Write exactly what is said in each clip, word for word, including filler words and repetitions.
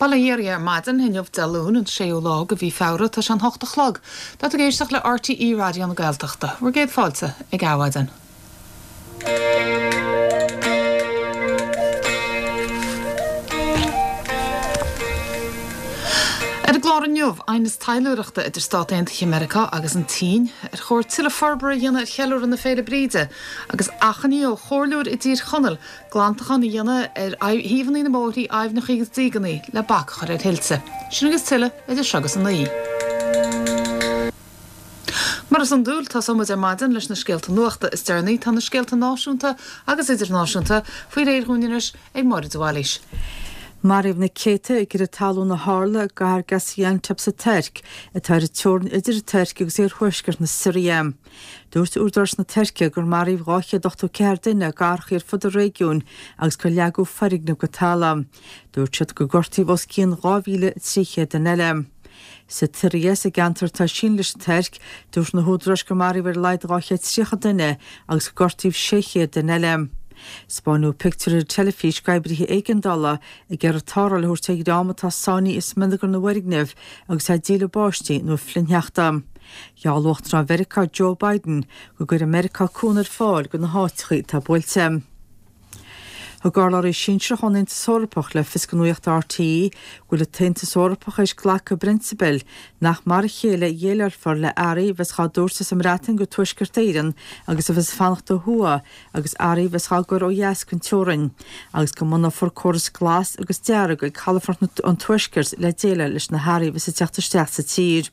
Bail ó Dhia oraibh ar maidin inniu Dé Luain an séú lá de mhí Feabhra tá sé an hocht a chlog, Tá tú ag éisteacht le RTÉ Raidió na Gaeltachta, bhur gcéad fáilte ag Adhmhaidin. Ar an gclár inniu aighneas taidhleoireachta idir Stáit Aontaithe Meiriceá agus an tSín, ar chóir tuilleadh forbartha a dhéanamh ar cheiliúradh na Féile Bríde, agus achainí ó chomhairleoir i dTír Chonaill glantachán a dhéanamh ar thaobhanna na mbóithrí aibhneacha agus dígeanna le bac a chur ar thuilte. Sin agus tuilleadh idir seo agus a naoi. Mar is iondúil tosóimid ar maidin leis na scéalta nuachta is deireanaí tá na scéalta náisiúnta agus idirnáisiúnta faoi réir dhúinn anois ag Máire de Bhailís. Maraíodh na céadta i gcreathadh talún a tharla i gcathair Gaziantep sa Tuirc, atá ar an teorainn idir an Tuirc agus iarthuaisceart na Siria. Dúirt údaráis na Tuirce gur maraíodh dhá chéad ochtó ceathair duine i gcathracha ar fud an réigiúin agus gur leagadh foirgnimh go talamh. Dúirt siad gur gortaíodh os cionn dhá mhíle trí chéad duine eile. Sa tSiria, sa gceantar atá ag síneadh leis an Tuirc, dúirt na húdaráis gur maraíodh ar a laghad dhá chéad tríocha duine agus gur gortaíodh sé chéad duine eile. Spáineadh pictiúir ar an teilifís d'oibrithe éigeandála ag iarraidh tarrtháil a thabhairt ar dhream atá sáinnithe i smionagar na bhfoirgneamh agus é ag díleá báistí nó ag flichshneachta. Gheall Uachtarán Mheiriceá Joe Biden go gcuirfidh Meiriceá cúnamh ar fáil do na háiteacha atá buailte. Thug urlabhraí sinsearach ón Aontas Eorpach le fios do Nuacht RTÉ go bhfuil an tAontas Eorpach tar éis glacadh i bprionsabal nach mar a chéile a dhéileálfar le earraí a bheas á dtabhairt as an mBreatain go Tuaisceart Éireann agus a bheas ag fanacht ó thuaidh agus earraí a bheas á gcur ó dheas den teorainn agus go mbunófar córas glas agus dearg ag calafort an Tuaiscirt le déileáil leis na hearraí a bheas ag teacht isteach sa tír.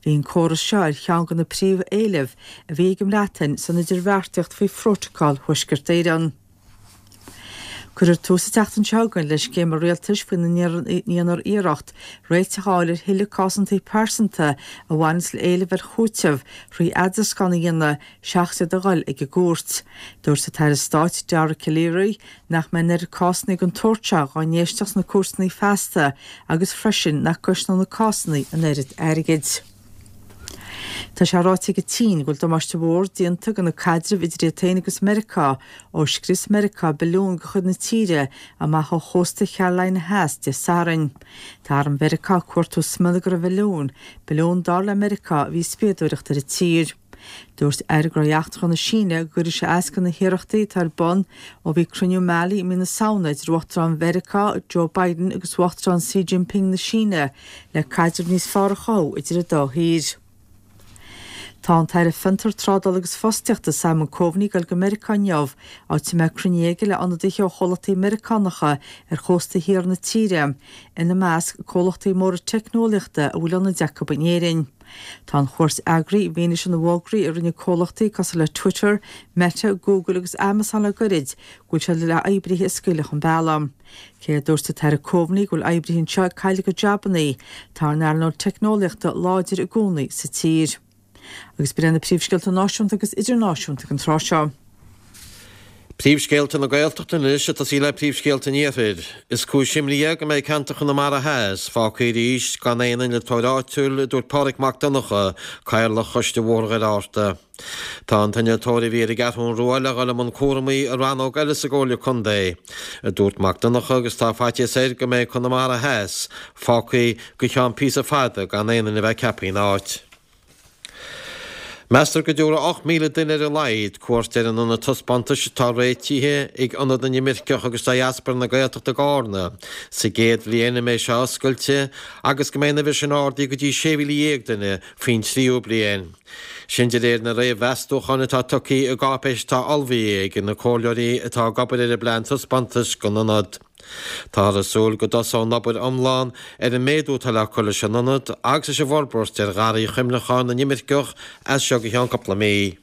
Bhí an córas seo ar cheann de na príomhéilimh a bhí ag an mBreatain san idirbheartaíocht faoi Phrótacal Thuaisceart Éireann. Cuirfear tús an tseachtain seo chugainn le scéim an rialtais faoina ndéanfar iarracht réiteach a fháil ar thuilleadh cásanna pearsanta a bhaineanns le éilimh ar chúiteamh thrí eadrascán a dhéanamh seachas iad a dhul ag an gcúirt. Dúirt an tAire Stáit Dara Calleary nach mbeidh an oiread cásanna den tsórt seo dhá n-éisteacht sna cúirteanna feasta agus freisin nach gcosnódh na cásanna an oiread airgid. Tá sé ráite ag an tSín go bhfuil damáiste mhór déanta do na caidrimh idir iad féin agus Meiriceá ó scrios Meiriceá balún de chuid na tíre amach ó chósta Carolina Theas Dé Sathairn. Tá arm Mheiriceá ag cuartú smionagar an bhalúin, balún dar le Meiriceá a bhí ag spiadóireacht ar an tír. Dúirt Aire Gnóthaí Eachtracha na Síne go gcuirfidh sé as do na hiarrachtaí atá ar bun ó bhí cruinniú Mali i mí na Samhna idir Uachtarán Mheiriceá Joe Biden agus Uachtarán Xi Jinping na Síne le caidreamh níos fearr a chothú idir an dá thír. Tá an tAire Fiontar Trádála agus Fostaíochta Simon Coveney ag dul go Meiriceá inniu, áit a mbeidh cruinniú aige le ionadaithe ó chomhlachtaí Meiriceánacha ar chósta thiar na tíre, ina measc comhlachtaí móra teicneolaíochta a bhfuil ionaid acu in Éirinn. Tá an chuairt eagraithe i bhfianaise na bhfógraí a rinne comhlachtaí cosúil le Twitter, Meta, Google agus Amazon le goirid go bhfuil siad le oibrithe a scaoileadh chun bealaigh. Cé a dúirt an tAire Coveney go bhfuil oibrithe anseo ag cailleadh a gcuid jabannaí, tá an earnáil teicneolaíochta láidir i gcónaí sa tír. Agus b'in iad na príomhscéalta náisiúnta agus idirnáisiúnta ag an tráth seo. Príomhscéalta na Gaeltachta anois ag tosaí le príomhscéalta an Iarthair. Is cúis imní é go mbeidh ceantar Chonamara Theas fágtha arís gan aon innealtóir áitiúil, a dúirt Pádraig Mac Donncha, Cathaoirleach Choiste Bhóthar Dhoire Fhatharta. Tá an t-innealtóir a bhí ar an gCeathrú Rua le dhul i mbun cúramaí i rannóg eile sa gComhairle Contae, a dúirt Mac Donncha agus tá faitíos air go mbeidh Conamara Theas fágtha go ceann píosa fada gan aon duine a bheith ceaptha ina áit. Meastar go dtabharfaidh ocht míle duine ar a laghad cuairt ar an ionad taispeántais atá réitithe ag Ionad na nImirceach agus Diaspora na Gaeltachta i gCarna sa gcéad bhliain a mbeidh sé oscailte agus go mbeidh an uimhir sin ardaithe go dtí sé mhíle dhéag duine faoin tríú bliain. Sin de réir na réamh-mheastúcháin atá tugtha i gcáipéis atá ullmhaithe ag na comhairleoirí atá ag obair ar an bplean taispeántais don ionad. Táthar ag súil go dtosóidh an obair iomlán ar an méadú atá le cur leis an ionad agus leis an bhforbairt ar Gharraí Chuimhneacháin na nImirceach as seo go ceann cúpla mí.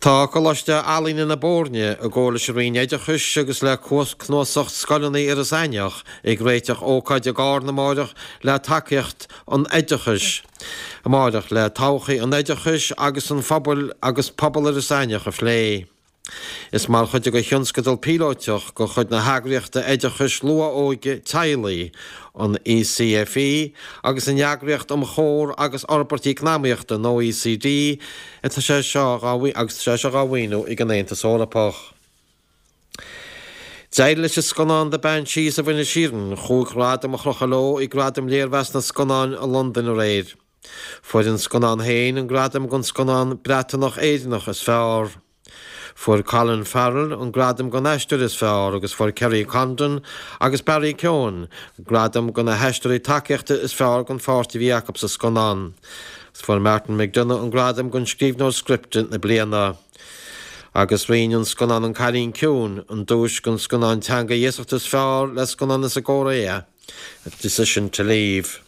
Tá Coláiste Ealaíne na Boirne, i gcomhar leis an Roinn Oideachais agus le Cnuasach Scoileanna Iorras Aithneach, ag réiteach ócáid i gCarna amáireach le tacaíocht an oideachais amáireach le todhchaí an oideachais agus an phobail agus pobal Iorras Aithneach a phlé. Is mar chuid de thionscadal píolótach de chuid na heagraíochta oideachais luath-óige teaghlaigh, an ECFE, agus an Eagraíocht um Chomhar agus Fhorbairt Eacnamaíochta, an OECD, atá sé seo agus tá sé seo dhá mhaoiniú ag an Aontas Eorpach. D'éirigh leis an scannán The Banshees of Inisherin chúig ghradam a chrochadh leo ag Gradaim Léirmheas na Scannán i Londain aréir. Fuair an scannán féin an gradam don scannán Breatanach Éireannach is fearr. Fuair Colin Farrell an gradam don aisteoir is fearr agus fuair Kerry Condon agus Barry Keoghan gradam do na haisteoirí tacaíochta is fearr don pháirt a bhí acu sa scannán. Fuair Martin McDonagh an gradam don scríbhneoir scripte na bliana. Agus roinn an scannán An Cailín Ciúin an duais don scannán teanga iasachta is fearr le scannán as an gCóiré, Decision to Leave.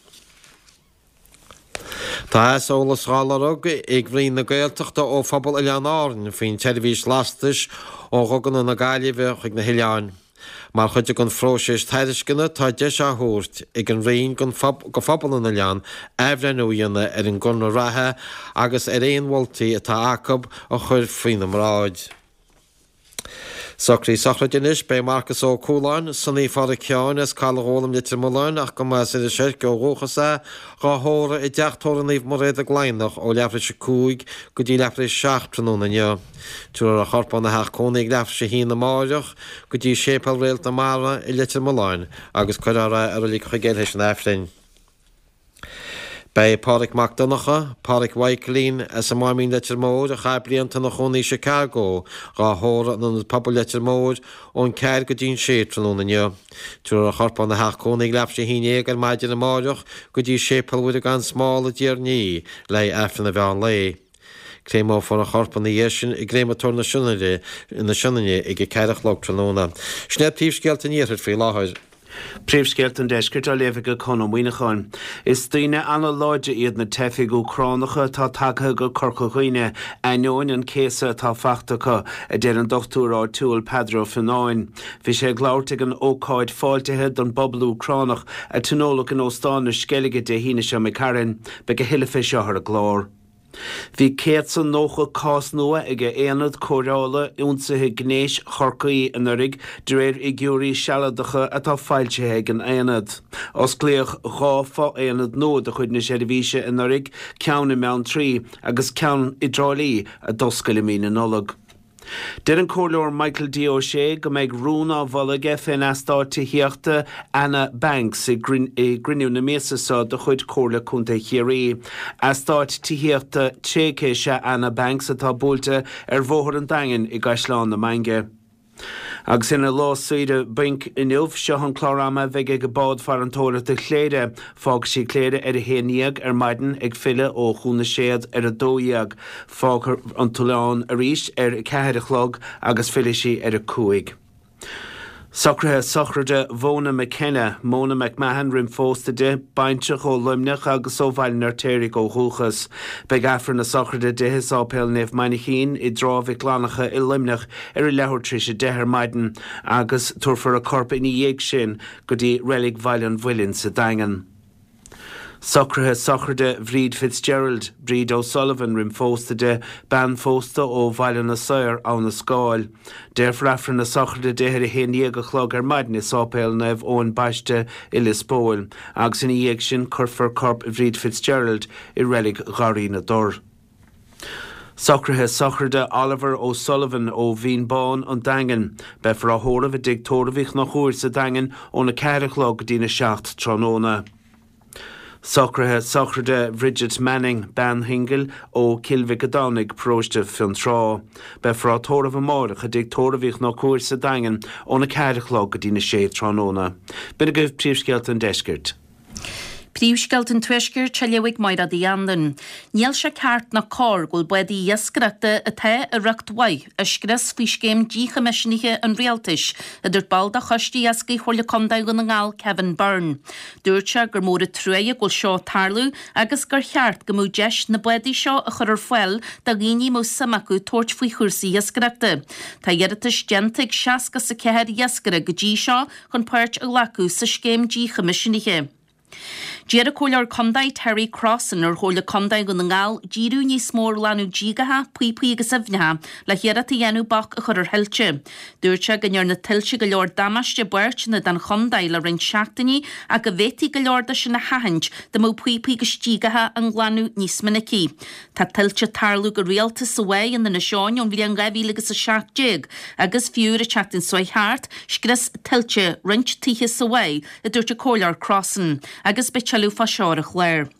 Tá aiseolas á lorg ag Roinn na Gaeltachta ó phobal Oileáin Árann faoin tseirbhís lastais ó Dhuganna na Gaillimhe chuig na hoileáin. Mar chuid den phróiseas tairisceana tá deis á thabhairt ag an Roinn go phobal an oileáin athbhreithniú a dhéanamh ar an gconradh reatha agus ar aon mholtaí atá acu a chur faoina mbráid. Socruithe sochraide anois, beidh Marcas Ó Cualáin, Sonaí Phádraic Sheáin as Caladh Ghólam Leitir Mealláin ach go mba as Inis Oirc ó dhúchas é, dhá thórramh i dteach tórraimh Naomh Mairéad i gCladhnach ó leathuair tar éis a cúig go dtí leathuair tar éis a seacht tráthnóna inniu. Tabharfar a chorp óna theach cónaí ag leathuair tar éis a haon amáireach go dtí Séipéal Réalt na Mara i Leitir Mealláin agus cuirfear é i Reilig Chuigéil théis an Aifrinn. Beidh Pádraig Mac Donncha, Pádraig Mhaidhcilín, as an Máimín Leitir Móir, a chaith blianta ina chónaí i Chicago, dhá thórramh in Ionad Pobail Leitir Móir ón ceathair go dtí an sé tráthnóna inniu. Tabharfar a chorp óna theach cónaí ag leathuair tar éis a haon déag ar maidin amáireach go dtí Séipéal Mhuire gan Smál i dTír an Fhia le haghaidh Aifreann an mheán lae. Créamófar a chorp ina dhiaidh sin i gCréamatóir na Sionainne ag a ceathair a chlog tráthnóna. Sin iad príomhscéalta an Iarthair faoi láthair. Príomhscéalta an Deiscirt á léamh ag Conn Ó Muíneacháin. Is daoine an-láidre iad na teifigh Úcránacha atá tagtha go Corca Dhuibhne, ainneoin an céasadh atá fachta acu, a deir an dochtúir áitiúil Peadar Ó Fionnáin. Bhí sé ag labhairt ag an ócáid fáiltithe don bpobal Úcránach a tionóladh in Óstán na Sceilge Dé hAoine seo imigh tharainn. Beidh a thuilleadh fé seo ar an gclár. Bhí céad 's a nócha cás nua ag Aonad Cóireála Ionsaithe Gnéis Chorcaí anuraidh, de réir fhigiúirí sealadacha atá foilsithe ag an Aonad. Osclaíodh dhá fho-aonad nua de chuid na seirbhíse anuraidh, ceann i mBeanntraí agus ceann i dTrá Lí a d'oscail i mí na Nollag. Deir an Comhairleoir Michael D. O'Shea go mbeidh rún á mholadh aige fén eastát tithíochta Anna Banks i gcruinniú na míosa seo de chuid Chomhairle Contae Chiarraí. Eastát tithíochta tréigthe is ea Anna Banks atá buailte ar Bhóthar an Daingin i gCaisleán na Mainge. Agus ina lá saoire bainc inniu, seo an clár ama a bheidh ag bád farantóireachta Chléire. Fágfaidh sí Cléire ar a haon dhéag ar maidin, ag filleadh ó Chuan na Séad ar a dó dhéag. Fágfaidh an t-oileán arís ar a ceathair a chlog agus fillfidh sí ar a cúig. Socruithe sochraide Mhona McKenna, Mona McMahon roim phósta di, baintreach ó Luimneach agus ó Bhaile an Fheirtéaraigh ó dhúchas. Beidh Aifreann na sochraide di i Sáipéal Naomh Mainchín i dTrá Mhic Fhlannchadha i Luimneach ar a leathuair tar éis a deich ar maidin agus tabharfar a corp ina dhiaidh sin go dtí Reilig Bhaile an Mhuilinn sa Daingean. Socruithe sochraide Bhríd Fitzgerald, Bríd O'Sullivan roim phósta di, bean phósta ó Bhaile na Saor, Abha na Scáil. Déarfar Aifreann na sochraide di ar a haon dhéag a chlog ar maidin i Sáipéal Naomh Eoin Baiste i Lios Póil agus ina dhiaidh sin cuirfear corp Bhríd Fitzgerald i Reilig Gharraí na dTor. Socruithe sochraide Oliver O'Sullivan ó Mhín Bán, An Daingean. Beifear á thórramh i dTigh Tórraimh Uí Chonchúir sa Daingean óna ceathair a chlog go dtína seacht tráthnóna. Socruithe sochraide Bhridget Manning, bean shingil ó Chill Mhic a' Domhnaigh, Paróiste Fionntrá. Beifear á tórramh amáireach i dTigh Tórraimh Uí Chonchúir sa Daingean óna ceathair a chlog go dtína sé tráthnóna. B'in agaibh príomhscéalta an deiscirt. Príomhscéalta an Tuaiscirt á léamh ag Máire Uí Anluain. Níl sé ceart ná cóir go bhfuil bádaí iascaireachta atá i riocht mhaith á scrios faoi scéim díchoimisnithe an Rialtais, a dúirt ball de Choiste Iascaigh Chomhairle Contae Dhún na nGall, Kevin Byrne. Dúirt sé gur mór an truaighe go bhfuil seo ag tarlú agus gur cheart go mbeadh deis na bádaí seo a chur ar fáil do dhaoine a mbeadh suim acu tabhairt faoi chúrsaí iascaireachta. Tá iarratais déanta ag seasca 's a ceathair iascaire go dtí seo chun páirt a ghlacadh sa scéim díchoimisnithe. D'iarr an Comhairleoir Contae Terry Crossan ar Chomhairle Contae Dhún na nGall díriú níos mó ar ghlanadh díogacha, píopaí agus aibhneacha le hiarracht a dhéanamh bac a chur ar thuilte. Dúirt sé go ndearna tuilte go leor damáiste i bpáirteanna den chontae le roinnt seachtainí ach go bhféadfaí go leor de sin a sheachaint dá mbeadh píopaí agus díogacha á nglanadh níos minicí. Tá tuilte ag tarlú go rialta sa Mhaigh in Inis Eoghain ón bhliain dhá mhíle agus a seacht déag agus fiú ar an tseachtain seo thart, scrios tuilte roinnt tithe sa Mhaigh, a dúirt an Comhairleoir Crossan, agus beidh tuilleadh fá seo ar an chlár.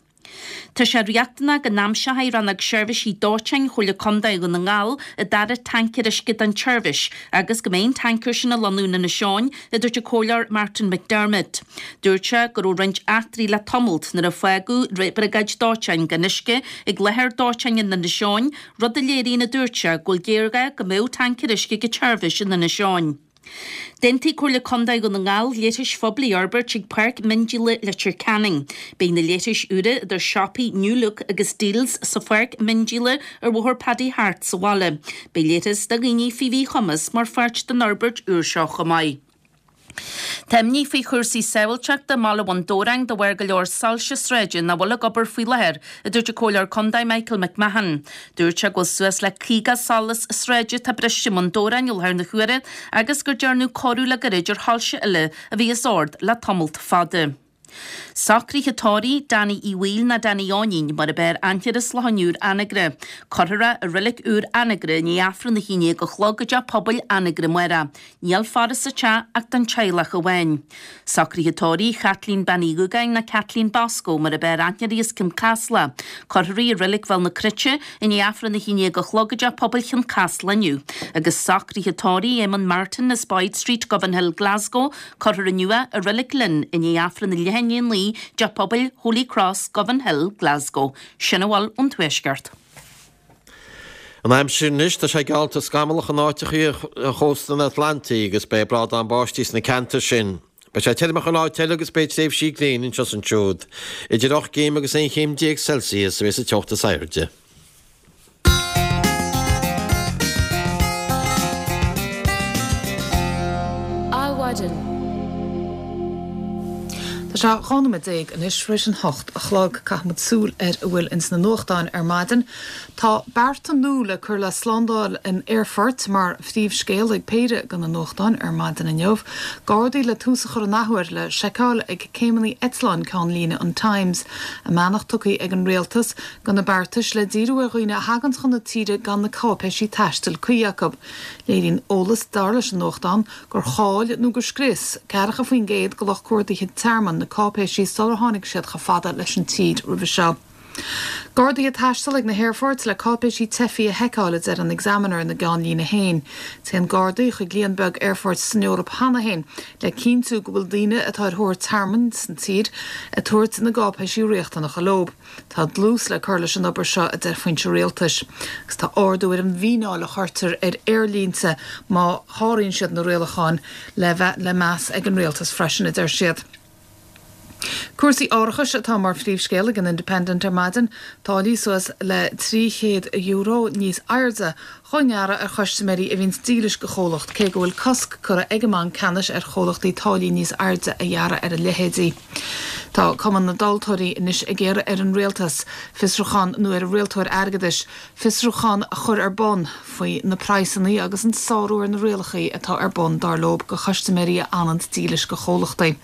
Tá sé riachtanach go n-aimseoidh Rannóg Seirbhísí Dóiteáin Chomhairle Contae Dhún na nGall an dara tancaer uisce don tseirbhís agus go mbeidh an tancaer sin ag lonnú in Inis Eoghain, a dúirt an Comhairleoir Martin McDermott. Dúirt sé go raibh roinnt eachtraí le tamalt nuair a fágadh briogáid dóiteáin gan uisce ag láthair dóiteáin in Inis Eoghain, rud a léiríonn, a dúirt sé, go bhfuil géarghá go mbeadh tancaer uisce ag an tseirbhís in Inis Eoghain. D'aontaigh Comhairle Contae Dhún na nGall leithris phoiblí a fhorbairt ag Páirc Miondíola Leitir Ceanainn. Beidh na leithris úra idir siopaí New Look agus Dealz sa pháirc mhiondíola ar Bhóthar Paddy Harte sa bhaile. Beidh leithreas do dhaoine faoi mhíchumas mar pháirt den fhorbairt úr seo chomh maith. Tá imní faoi chúrsaí sábháilteachta i mbaile Bhun Dobhráin de bharr go leor soilse sráide nach bhfuil ag obair faoi láthair, a dúirt an Comhairleoir Contae Michael McMahon. Dúirt sé go bhfuil suas le caoga solas sráide atá briste i mBun Dobhráin i láthair na huaire agus gur dearnadh cóiriú le gairid ar shoilse eile a bhí as ord le tamalt fada. Socruithe tórraimh Danny Uí Bhaoill nó Danny Eoinín mar ab fhearr aithne air as Loch an Iúir Anagaire. Cuirfear é i Reilig Úr Anagaire i ndiaidh Aifreann a haon déag a chlog i dTeach Pobail Anagaire amárach. Níl faire sa teach ach don teaghlach amháin. Socruithe tórraimh Chaitlín Bean Uí Dhúgáin nó Kathleen Bosco mar ab fhearr aithne uirthi as Cionn Caslach. Cuirfear í i Reilig Bhéal na Cruite i ndiaidh Aifreann a haon déag a chlog i dTeach Pobail Chionn Caslach inniu. Agus socruithe tórraimh Éamonn Martin as Boyd Street, Govanhill, Glasgow. Cuirfear inniu é i Reilig Linn i ndiaidh Aifreann a leath i ndiaidh a naoi i dTeach Pobail Holy Cross, Govanhill, Glasgow. Sin a bhfuil ón Tuaisceart. An aimsir anois, tá sé geallta scamallach in áiteachaí ar chósta an Atlantaigh agus beidh brádán báistí sna ceantair sin. Beidh sé tirim chuile áit eile agus beidh tréimhsí gréine anseo is ansiúd. Idir ocht gcéim agus aon chéim déag Celsius a bheas an teocht is airde. Adhmhaidin. Tá sé dhá nóiméad déag anois tar éis an hocht a chlog. Caithfimid súil ar a bhfuil ins na nuachtáin ar maidin. Tá bearta nua le cur le slándáil in aerfoirt mar phríomhscéal ag péire de na nuachtáin ar maidin inniu. Gardaí le tús a chur an athuair le seiceáil ag céimeanna eitleáin ceannlíne an Times. A mbeannacht tugtha ag an rialtas do na beartais le díriú ar dhaoine a thagann chun na tíre gan na cáipéisí taistil cuí acu. Léiríonn eolas, dar leis an nuachtán, gur chaill nó gur scrios ceathracha faoin gcéad de lucht cuardaithe tearmainn na cáipéisí sular tháinig siad chomh fada leis an tír roimhe seo. Gardaí ag taisteal ag na haerfoirt le cáipéisí teifigh a sheiceáil, a deir an Examiner ina gceannlíne féin. Téann Gardaí chuig líon beag aerfoirt san Eoraip cheana féin le cinntiú go bhfuil daoine atá ar thóir tearmainn san tír ag tabhairt na gcáipéisí riachtanacha leo. Tá dlús le cur leis an obair seo, a deir foinse rialtais, agus tá ardú ar an bhfíneáil a chuirtear ar aerlínte má sháraíonn siad na rialacháin le bheith le meas ag an rialtas freisin, a deir siad. Cúrsaí árachais atá mar phríomhscéal ag an Independent ar maidin, táillí suas le trí chéad euro níos airde dhá ngearradh ar chustaiméirí a bhíonns dílis do chomhlacht, cé go bhfuil cosc curtha ag an mBanc Ceannais ar chomhlachtaí táillí níos airde a ghearradh ar a leithéidí. Tá Cumann na dTomhaltóirí anois ag iarraidh ar an Rialtas fiosrúchán nó ar an Rialtóir Airgeadais fiosrúchán a chur ar bun faoi na praghsanna agus an sárú ar na rialacha atá ar bun dar leo do chustaiméirí a fhananns dílis do chomhlachtaí.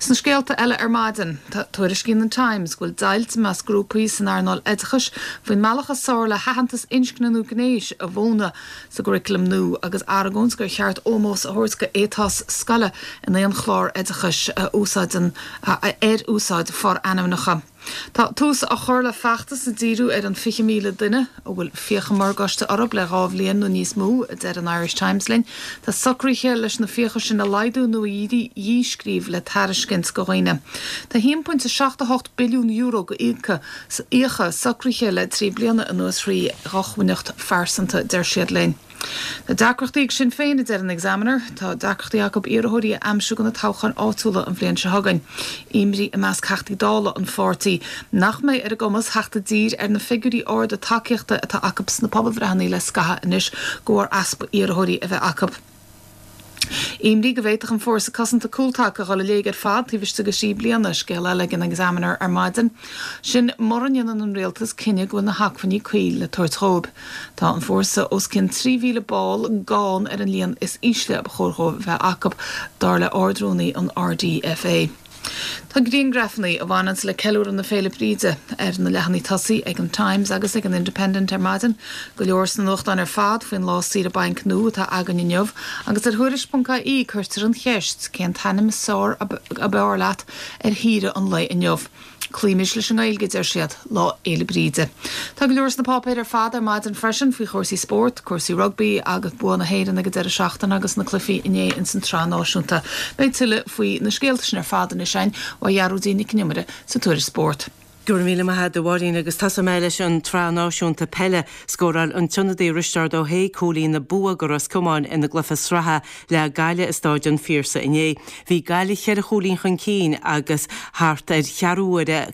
Sna scéalta eile ar maidin, tuairiscíonn an Times go bhfuil deighilt i measc grúpaí san earnáil oideachais faoin mbealach is fearr le haitheantas inscne nó gnéis a mhúineadh sa gcuraclam nua agus argóint gur cheart ómós a thabhairt go éiteas scoile in aon chlár oideachais a úsáideann ar úsáid forainmneacha. Tá tús á chur le feachtas ag díriú ar an fiche míle duine a bhfuil fiacha morgáiste orthu le dhá bhliain nó níos mó, a deir an Irish Times linn. Tá socruithe leis na fiacha sin a laghdú nó a dhíscríobh le tairiscint do dhaoine. Tá a haon pointe seacht a hocht billiún euro go fhiacha socraithe le trí bliana anuas thrí dhócmhainneacht phearsanta, deir siad linn. Tá deacrachtaí ag Sinn Féin, a deir an Examiner. Tá deacrachtaí acu iarrthóirí a aimsiú do na toghcháin áitiúla an bhliain seo chugainn. Imní i measc Theachtaí Dála an pháirtí nach mbeidh ar a gcumas theacht i dtír ar na figiúirí arda tacaíochta atá acu sna pobalbhreitheanna le scaitheamh anois de bharr easpa iarrthóirí a bheith acu. Imní go bhféadfadh an fórsa cosanta cúltaca a dhul i léig ar fad taobh istigh de thrí bliana scéal eile ag an Examiner ar maidin. Sin mura ndéanann an rialtas cinneadh go bhfuil na hacmhainní cuí le tabhairt dóibh. Tá an fórsa os cionn trí mhíle ball gann ar an líon is ísle a ba chóir dóibh bheith acu dar le Ard-Rúnaí an RDFA. Tá grianghrafanna a bhaineanns le ceiliúradh na Féile Bríde ar na leathanaigh tosaigh ag an Times agus ag an Independent ar maidin, go leor sna nuachtáin ar fad faoin lá saoire bainc nua atá againn inniu, agus ar Thuairisc.ie cuirtear an cheist cén t-ainm is fearr ab fhearr leat ar shaoire an lae inniu. Cloímis leis an nGaeilge deir siad Lá Fhéile Bríde. Tá go leor sna páipéir ar fad ar maidin freisin faoi chúrsaí spóirt, cúrsaí rugbaí agus bua na hÉireann ag an deireadh seachtaine agus na cluichí inné ins an tsraith náisiúnta. Beidh tuilleadh faoi na scéalta sin ar fad anois againn ó Ghearóidín Nic an Iomaire sa Tuairisc Spóirt. Go raibh míle maith agat a Mháirín agus tosóidh mé leis an tsraith náisiúnta peile. Scóráil an t-ionadaí Risteard Ó hAodha cúilín an bua do Ros Comáin ina gcluiche sraithe le Gaillimh i Stáid an Phiarsaigh inné. Bhí Gaillimh cheithre chúilín chun cinn agus thart ar cheathrú uaire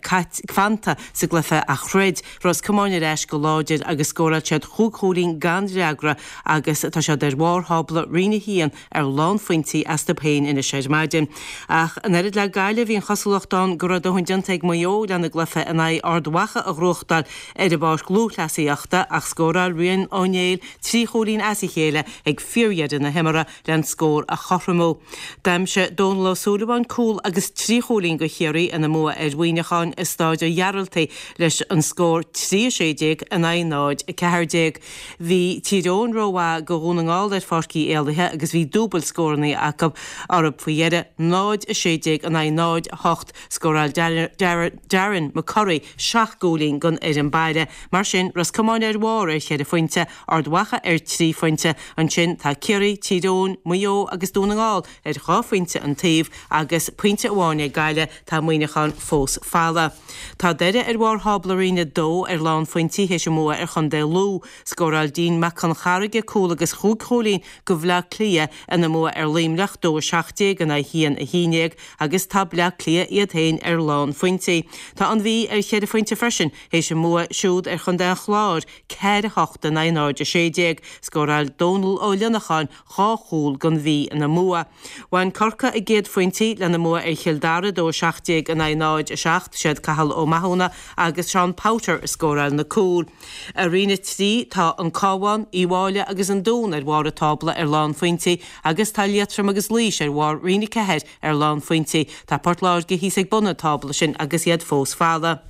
fanta sa gcluiche ach throid Ros Comáin ar ais go láidir agus scóráil siad chúig chúilín gan fhreagra agus tá siad ar bharr thábla Roinn a haon ar lánphointí astu féin anois ar maidin. Ach an oiread le Gaillimh bhí an chosúlacht ann go raibh a ndóthain déanta ag Maigh Eo lena gcluiche in aghaidh Ard Mhacha a ghnóthachtáil ar an bpáirc lúthchleasaíochta ach scóráil Rian Ó Néill trí chúilín as a chéile ag fíordheireadh na himeartha len scór a chothromú. D'aimsigh Dónal Ó Súilleabháin cúl agus trí chúilín do Chiarraí ina mbua ar Mhuineachán i Stáid an Ghearaltaigh leis an scór trí a sé déag in aghaidh náid a ceathair déag. Bhí Tír Eoghain rómhaith do Dhún na nGall ar Pháirc Uí Éallaithe agus bhí dúbailt scóranna acu orthu faoi dheireadh náid a sé déag in aghaidh náid a hocht. Scóráil Darren McCurry seacht gcúilín don fhoireann baile. Mar sin, Ros Comáin ar bharr ar cheithre phointe, Ard Mhacha ar trí phointe. Ansin tá Ciarraí, Tír Eoghain, Maigh Eo agus Dún na nGall ar dhá phointe an taobh agus pointe amháin ag Gaillimh, tá Muineachán fós folamh. Tá Doire ar bharr thábla Roinn a dó ar lánphointí théis a mbua ar Chontae Lú. Scóráil Dean Mac Con Charraige cúl agus chúig chúilín do Bhleá Cliath ina mbua ar Luimneach, dó a seacht déag in aghaidh haon a haon déag, agus tá Bleá Cliath iad féin ar lánphointí. Tá an Mhí ar cheithre phointe freisin théis a mbua siúd ar Chontae an Chláir, ceathair a hocht in aghaidh náid a sé déag. Scóráil Dónal Ó Lionacháin dhá chúl don Mhí ina mbua. Bhain Corcaigh a gcéad phointí lena mbua ar Chill Dara, dó a seacht déag in aghaidh náid a seacht. Siad Cathal Ó Mathúna agus Seán Powter a scóráil na cúil. I Roinn a trí tá an Cabhán, Uíbh Fhailí agus an Dún ar bharr an tábla ar lánphointí agus tá Liatroim agus Laois ar bharr Roinn a ceathair ar lánphointí. Tá Port Láirge thíos ag bun an tábla sin agus iad fós folamh.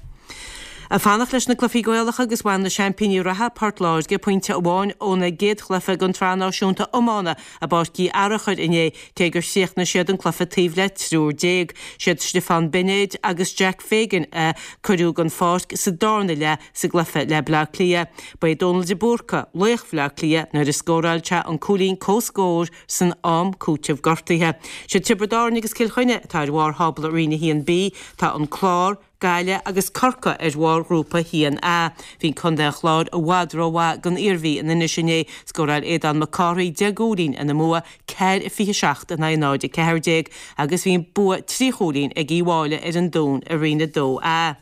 Ag fanacht leis na cluichí Gaelacha agus bhain na seaimpíní reatha, Port Láirge, pointe amháin óna gcéad chluiche den tSraith Náisiúnta Iomána i bPáirc Uí Fhearachair inné, cé gur chríochnaigh siad an cluiche taobh le triúr déag. Siad Stiofán Beinéid agus Jack Fagan a cuireadh den pháirc sa darna leath sa gcluiche le Bleá Cliath. Ba é Dónal de Búrca laoch Bhleá Cliath nuair a scóráil sé an cúilín comhscóir san am cúitimh gortaithe. Siad Tiobraid Árann agus Cill Chainnigh atá ar bharr thábla Roinn a haon B. Tá an Clár, Gaillimh agus Corcaigh ar bharr Ghrúpa a haon A. Bhí Contae an Chláir i bhfad rómhaith don Iarmhí in Inis inné. Scóráil Aodán Mac Cárthaigh deich gcúilín ina mbua, ceathair a fiche seacht in aghaidh náid a ceathair déag, agus bhí bua trí chúilín ag Uíbh Fhailí ar an Dún i Roinn a dó A.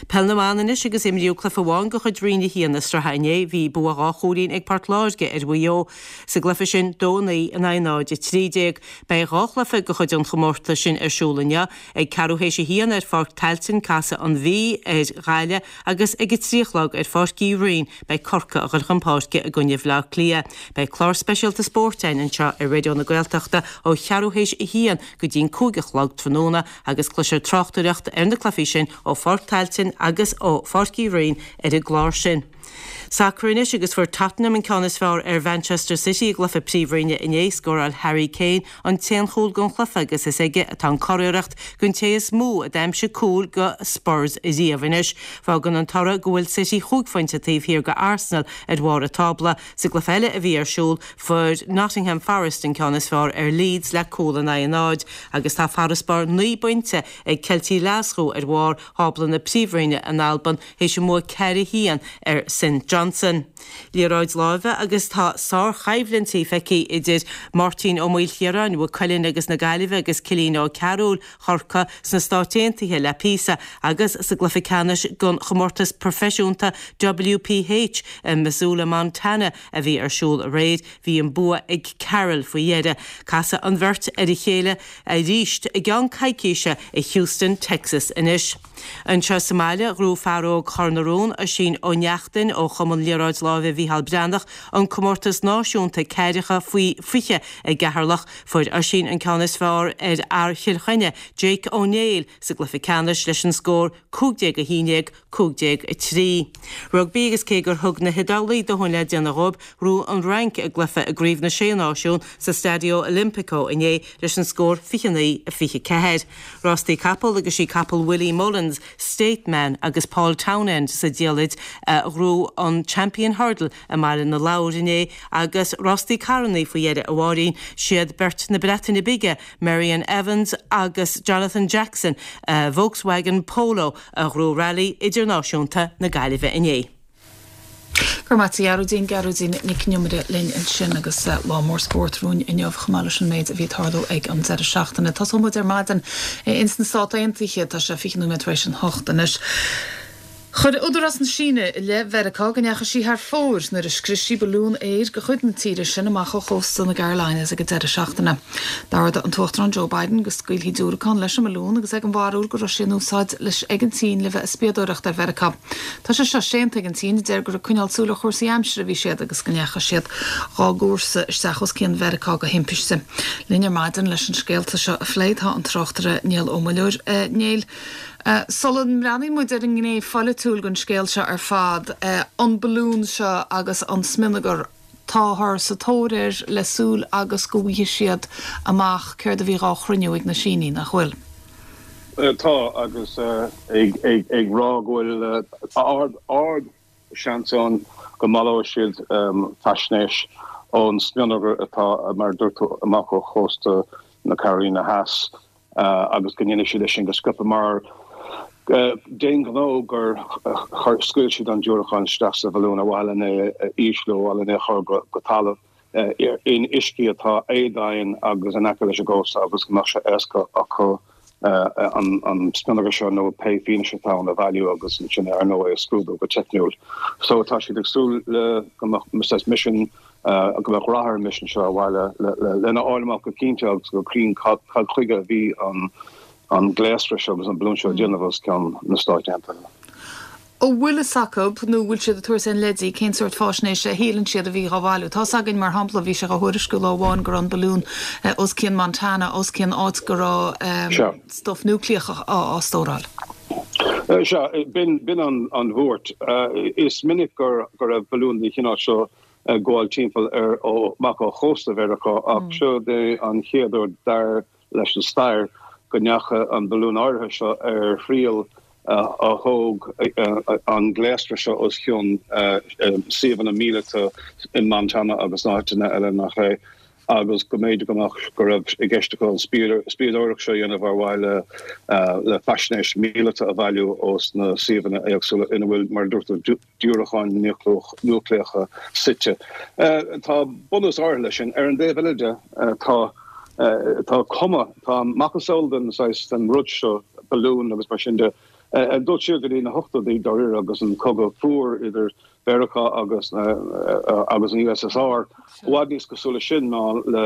Peil na mBan anois agus imríodh cluiche amháin de chuid Roinn a haon na sraithe inné. Bhí bua dhá chúilín ag Port Láirge ar Mhaigh Eo sa gcluiche sin, dó a naoi in aghaidh náid a trí déag. Beidh dhá chluiche de chuid an chomórtais sin ar siúl inniu. Ag ceathrú théis a haon ar Pháirc Tailteann casfaidh an Mhí ar Ghaillimh agus ag a trí a chlog ar Pháirc Uí Rinn beidh Corcaigh ag dul chun páirce i gcoinne Bhaile Átha Cliath. Beidh clár speisialta spóirt againn anseo ar Raidió na Gaeltachta ó cheathrú théis a haon go dtí an cúig a chlog tráthnóna agus cloisfear tráchtaireacht ar na cluichí sin ó Pháirc Tailteann agus ó Pháirc Uí Rinn ar an gclár sin. Sacar anois agus fuair Tottenham an ceann is fearr ar Mhanchester City i gcluiche Príomhroinne inné. Scóráil Harry Kane an t-aon chúl den chluiche agus is aige atá an curiarracht don té is mó a d'aimsigh cúl do Spurs riamh anois. Fágann an toradh go bhfuil City chúig phointe taobh thiar de Arsenal ar bharr an tábla. Sa gcluiche eile a bhí ar siúl, fuair Nottingham Forest an ceann is fearr ar Leeds le cúl in aghaidh a náid agus tá farasbarr naoi bpointe ag Ceiltigh Ghlaschú ar bharr thábla na Príomhroinne in Albain théis a mbua ceathair a haon ar St Johnstone. Liathróid láimhe agus tá sárchoimhlint feicthe idir Máirtín Ó Maoilchiaráin, Mhaigh Cuilinn agus na Gaillimhe agus Cillian Ó Cearúil Chorcaí sna Stáit Aontaithe le píosa agus sa gcluiche ceannais den chomórtas proifisiúnta WPH i Missoula, Montana a bhí ar siúl aréir, bhí an bua ag Carroll faoi dheireadh. Casfaidh an bheirt ar a chéile arís i gceann coicíse i Houston, Texas anois. Anseo sa mbaile, ghnóthaigh fear óg Chor na Rón, Oisín Ó Neachtain ó Chumann Liathróid Láimhe Mhícheál Breathnach, an comórtas náisiúnta ceathracha faoi fiche i gCeatharlach. Fuair Oisín an ceann is fearr ar fhear Chill Chainnigh, Jake Ó Néill, sa gcluiche ceannais leis an scór cúig déag a haon déag, cúig déag a trí. Rugbaí agus cé gur thug na hIodálaigh dóthain le déanamh dhóibh, ghnóthaigh an Fhrainc a gcluiche i gCraobh na Sé Náisiún sa Stadio Olimpico inné leis an scór fiche naoi a fiche ceathair. Rástaí capall agus sí capall Willie Mullins, State Man agus Paul Townend sa diallait a ghnóthaigh an Champion Hurdle i mBaile na Lobhar inné agus rástaí carrannaí faoi dheireadh a Mháirín, siad beirt na Breataine Bige, Meirion Evans agus Jonathan Jackson, Volkswagen Polo a ghnóthaigh Rally Idirnáisiúnta na Gaillimhe inné. Go raibh maith agat a Ghearóidín, Gearóidín Nic an Iomaire linn ansin agus lá mór spóirt romhainn inniu chomh maith leis an méid a bhí ag tarlú ag an deireadh seachtaine. Tosóidh muid ar maidin ins na Stáit Aontaithe, tá sé fiche nóiméad tar éis an hocht anois. Chuir Údarás na Síne i leith Mheiriceá go ndeachaigh sí thar fóir nuair a scrios sí balún aeir de chuid na tíre sin amach ó chósta na gCarolinas ag an deireadh seachtaine. D'ordaigh an tUachtarán Joe Biden go scaoilfí diúracán leis an mbalún agus é den bharúil go raibh sé in úsáid leis ag an tSín le bheith ag spiadóireacht ar Mheiriceá. Tá sé seo séanta ag an tSín a deir gur ag coinneáil súil ar chúrsaí aimsire a bhí siad agus go ndeachaigh siad dhá gcúrsa isteach os cionn Mheiriceá go himpiste. Linn ar maidin leis an scéalta seo a phlé tá an tráchtaire Niall Ó Muilleoir. Niall, Sula mbreathnaíonn muid ar an ngné pholaitiúil den scéal seo ar fad, an balún seo agus an smionagar, táthar sa tóir air le súil agus go bhfaighidh siad amach céard a bhí dhá chruinniú ag na Sínigh, nach bhfuil? Tá, agus ag rá go bhfuil ard seans ann go mbaileoidh siad faisnéis ón smionagar atá, mar a dúirt tú, amach ó chósta na Carolina Theas. agus go ndéanfaidh siad é sin go sciobtha mar d'aon ghnó gur scaoil siad an diúracán isteach sa bhalún ar mhaithe lena é a ísliú, ar mhaithe lena é a chur go talamh in uiscí atá éadomhain agus in aice leis an gcósta agus go mbeadh sé éasca acu an smionagar seo nó pé fianaise atá ann a bhailiú agus ansin ar ndóigh é a scrúdú go teicniúil. So tá siad ag súil le go mbeadh misean go mbeadh rath ar an misean seo ar mhaithe lena fháil amach go cinnte agus go cruinn cad chuige a bhí an gléasra seo agus an balún seo ag déanamh os cionn na Stáit Aontaithe. An bhfuil fhios acu nó bhfuil siad ag tabhairt aon leidí cén sórt fáisnéise a shíleann siad a bhí dhá bhailiú? Tá's againn, mar shampla, bhí sé dhá thuairisciú lá amháin go raibh an balún os cionn Montana, os cionn áit go raibh stuif núicléach á stóráil. Sea, b'in an bhuairt. Is minic go raibh balúin den chineál seo ag gabháil timpeall ar amach ó chósta Mheiriceá ach seo é an chéad uair dar leis an stair go ndeachaigh an balún áirithe seo ar thriail a thóg an gléasra seo os cionn suíomhanna míleata in Montana agus in áiteanna eile nach é agus go mb'fhéidir go mbeadh go raibh i gceist acu an spiadóireacht seo a dhéanamh ar mhaithe le faisnéis míleata a bhailiú ós na suíomhanna éagsúla ina bhfuil, mar a dúirt tú, diúracáin núicléacha suite. Tá bunús áirithe leis sin. Ar an dtaobh eile de, tá tá cuma, tá macasamhail den saghas, den rud seo, balún agus mar sin de, ag dul siar go dtí na hochtóidí dáiríre agus an cogadh fuar idir Mheiriceá agus agus an USSR, i bhfad níos cosúla sin ná le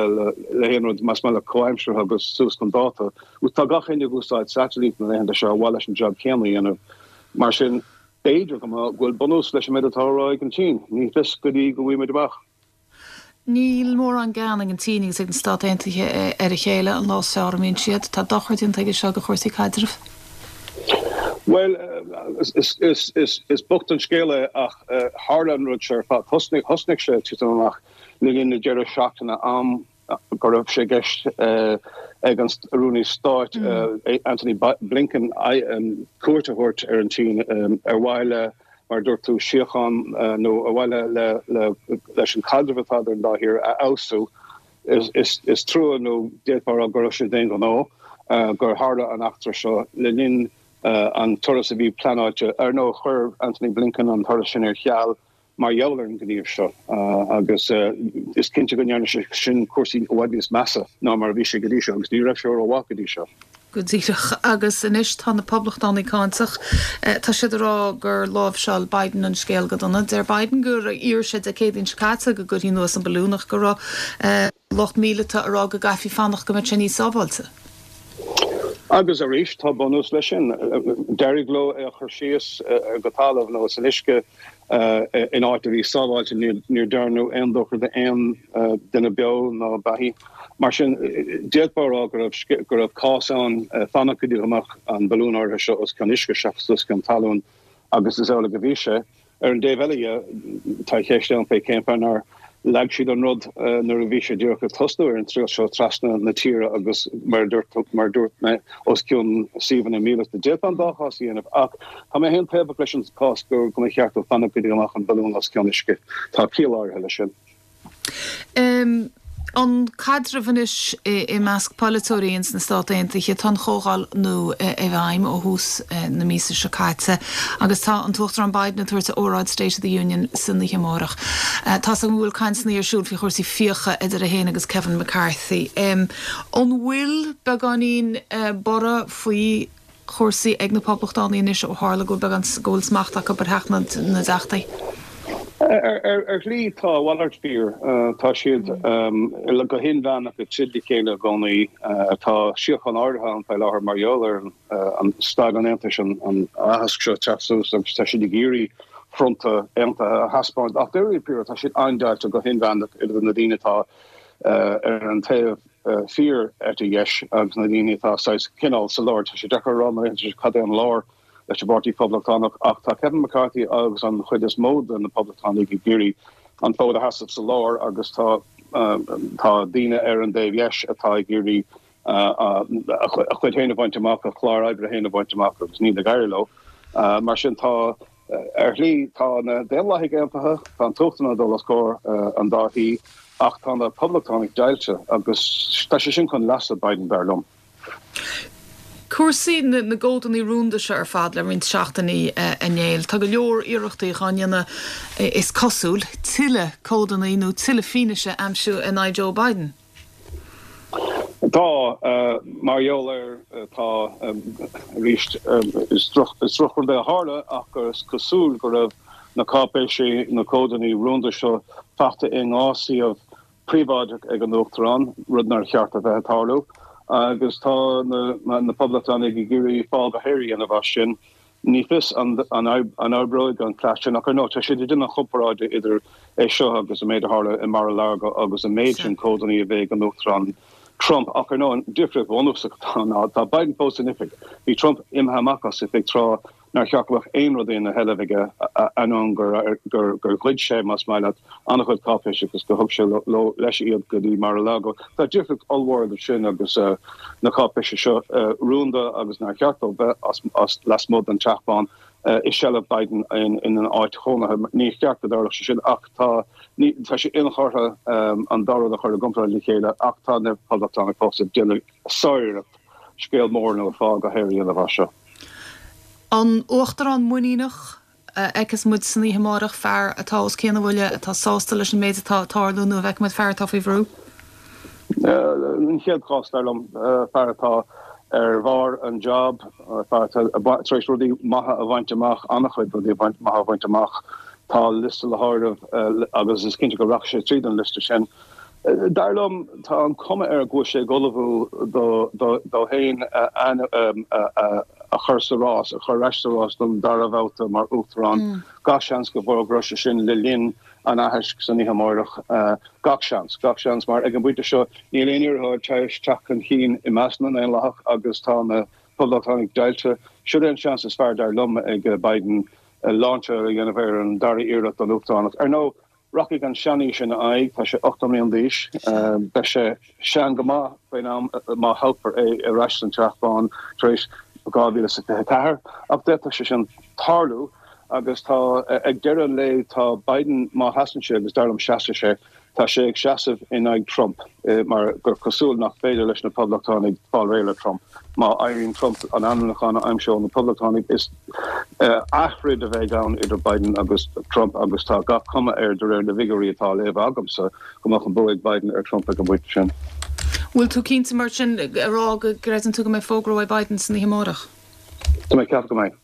le haon rud más maith leat comhaimseartha agus suas chun dáta. Tá gach éinne ag úsáid satailít na laethanta seo ar mhaithe leis an jab céanna a dhéanamh. Mar sin, B'fhéidir go bhfuil bunús leis an méid atá á rá ag an tSín. Ní fios go dtí go bhfaighimid amach. Níl mórán gean ag an tSín agus ag na Stáit Aontaithe ar a chéile, an lá is fearr a mbíonn siad. Tá dochar déanta aige seo do chúrsaí caidrimh. Bhuel, is bocht an scéal é ach tharla an rud seo ar fad. Thosnaigh sé ag titim amach le linn na deireadh seachtaine, am go raibh sé i gceist ag an Rúnaí Stáit Antony Blinken cuairt a thabhairt ar an tSín ar mhaithe le, mar a dúirt tú, síocháin nó ar mhaithe leis an chaidreamh atá idir an dá thír a fheabhsú. Is trua nó d'fhéadfá a rá go raibh sé d'aon ghnó gur tharla an eachtra seo le linn An turas a bhí pleanáilte, ar ndóigh chuir Antony Blinken an turas sin ar ceal mar gheall ar an ngníomh seo agus is cinnte go ndearna sé sin cúrsaí i bhfad níos measa ná mar a bhí sé go dtí seo agus ní raibh sé rómhaith go dtí seo. Go díreach. Agus anois tá na Poblachtánaigh cáinteach. Tá siad ag rá gur láimhseáil Biden an scéal go dona. Deir Biden gur iarr sé Dé Céadaoin seo caite go gcuirfí anuas an balún ach go raibh lucht míleata ag rá go gcaithfí fanacht go mbeadh sé níos sábháilte. Agus arís, tá bunús leis sin. D'éirigh leo é a chur síos go talamh nó san uisce in áit a bhí sábháilte, níor dearnadh aon dochar d'aon duine beo ná beathaí. Mar sin, d'fhéadfá a rá go raibh go raibh cás ann fanacht go dtí go mbeadh an balún áirithe seo os cionn uisce seachas os cionn talún agus is amhlaidh a bhí sé. Ar an dtaobh eile dhe, tá ceist ann fé cén fáth nár leag siad an rud nuair a bhí sé díreach ag tosnú ar an triall seo trasna na tíre agus mar a dúirt mar a dúirt mé os cionn suíomhanna míleata. D'fhéadfá an dá chás a dhéanamh ach tá mé féin taobhach leis an chás go go mba cheart dó fanacht go dtí go mbeadh an balún os cionn uisce. Tá ciall áirithe leis sin. An caidreamh anois i measc polaiteoirí ins na Stát Aontaithe, tá an chomhdháil nua i bhfeidhm ó thús na míosa seo caite agus tá an tUachtarán Biden ag tabhairt a óráid State of the Union san oíche amárach. Tá's agam go bhfuil cainteanna ar siúl faoi chúrsaí fiacha idir é féin agus Kevin McCarthy. An bhfuil beagáinín borradh faoi chúrsaí ag na Poblachtánaigh anois ó tharla go bhfuil beagán go bhfuil smacht acu ar Theach na dTeachtaí? Ar shlí tá a mhalairt fíor. Tá siad go hinmheánach ag troid le chéile i gcónaí. Tá síocháin áirithe ann faoi láthair mar gheall ar an staid an Aontais, an aitheasc seo ag teacht suas agus tá siad ag iarraidh fronta aontaithe a thaispeáint. Ach dáiríre píre tá siad an-deighilte go hinmheánach idir na daoine atá ar an taobh fíor eite dheis agus na daoine atá saghas cineál sa lár. Tá sé deacair a rá mar cad é an lár leis an bPáirtí Poblachtánach ach tá Kevin McCarthy agus an chuid is mó de na Poblachtánaigh ag iarraidh an fód a sheasamh sa lár agus tá tá daoine ar an dtaobh dheis atá ag iarraidh a chuid féin a bhaint amach, a chlár oibre féin a bhaint amach agus níl ag éirí leo. Mar sin tá ar shlí tá na Daonlathaigh aontaithe, tá an tUachtarán ag dul os comhair an dá thí ach tá na Poblachtánaigh deighilte agus tá sé sin chun leasa Biden dar liom. Cúrsaí na gcomhadanna rúnda seo ar fad le roinnt seachtainí a Néill. Tá go leor iarrachtaí á ndéanamh is cosúil tuilleadh comhadanna nó tuilleadh fianaise a aimsiú in aghaidh Joe Biden. Tá, mar gheall ar, tá arís, is drochrud é a tharla ach is cosúil go raibh na cáipéisí, na comhadanna rúnda seo faighte i ndhá suíomh príobháideach ag an Uachtarán, rud nár cheart a bheith ag tarlú, agus tá na Poblachtánaigh ag iarraidh fál go haer a dhéanamh as sin. Ní fios an oibreoidh an cleas sin, ach ar ndóigh tá siad ag déanamh comparáide idir é seo agus an méid a tharla i Mar-a-Lago agus an méid sin comhadanna a bhí ag an Uachtarán Trump. Ach ar ndóigh an difríocht bhunúsach atá ann ná tá Biden fós in oifig. Bhí Trump imithe amach as oifig tráth nár cheart go mbeadh aon rud ina sheilbh aige ainneoin gur gur ghoid sé, más maith leat, an-chuid cáipéisí agus gur thug sé leis iad go dtí Mar-a-Lago. Tá difríocht ollmhór idir sin agus na cáipéisí seo rúnda agus nár cheart dóibh bheith as lasmuigh den Teach Bán i seilbh Biden ina áit chónaithe. Ní cheart go dtarlódh sé sin ach tá tá sé inchurtha an dá rud a chur i gcomparáid le chéile ach tá na Poblachtánaigh fós ag déanamh sáriarracht scéal mór nó fál go haer a dhéanamh as seo. An Uachtarán muiníneach a fheicfeas muid san oíche amárach, fear atá os cionn a bhuille, atá sásta leis an méid atá ag tarlú nó an bhfeicfidh muid fear atá faoi bhrú? An chéad chás, dar liom, fear atá ar bharr an job, fear atá tar éis rudaí maithe a bhaint amach, an-chuid rudaí maithe a bhaint amach. Tá liosta le háireamh agus is cinnte go rachaidh sé tríd an liosta sin. Dar liom, tá an cuma air go bhfuil sé ag ullmhú dó féin a chur sa rás, a chur ar ais sa rás don dara babhta mar Uachtarán. Gach seans go bhfógróidh sé sin le linn an aithisc san oíche amárach. Gach seans. Gach seans, mar ag an bpointe seo níl aon iarrthóir tar éis teacht chun cinn i measc na nDaonlathach agus tá na Poblachtánaigh deighilte. Siod é an seans is fearr, dar liom, ag Biden lainseáil a dhéanamh ar an dara iarracht don Uachtaránacht. Ar ndóigh, Rachaidh an seanaois ina aghaidh, tá sé ochtó mbliana d'aois, beidh sé sean go maith faoin am má thoghfar é ar ais san Teach Bán tar éis dhá mhíle is a fiche ceathair, ach d'fhéadfadh sé sin tarlú agus tá, ag deireadh an lae, tá Biden, má sheasann sé, agus dar liom seasfaidh sé, Tá sé ag seasamh in aghaidh Trump mar gur cosúil nach féidir leis na Poblachtánaigh fáil réidh le Trump. Má éiríonn Trump an ainmniúchán a aimsiú na Poblachtánaigh is athroid a bheidh ann idir Biden agus Trump agus tá gach cuma air de réir na bhfigiúirí atá á léamh agamsa go mbeadh an bua ag Biden ar Trump ag an bpointe sin. Bhfuil tú cinnte mar sin a rá go gcreideann tú go mbeidh fógra uaidh Biden san oíche amárach? Tá mé ag ceapadh go mbeidh.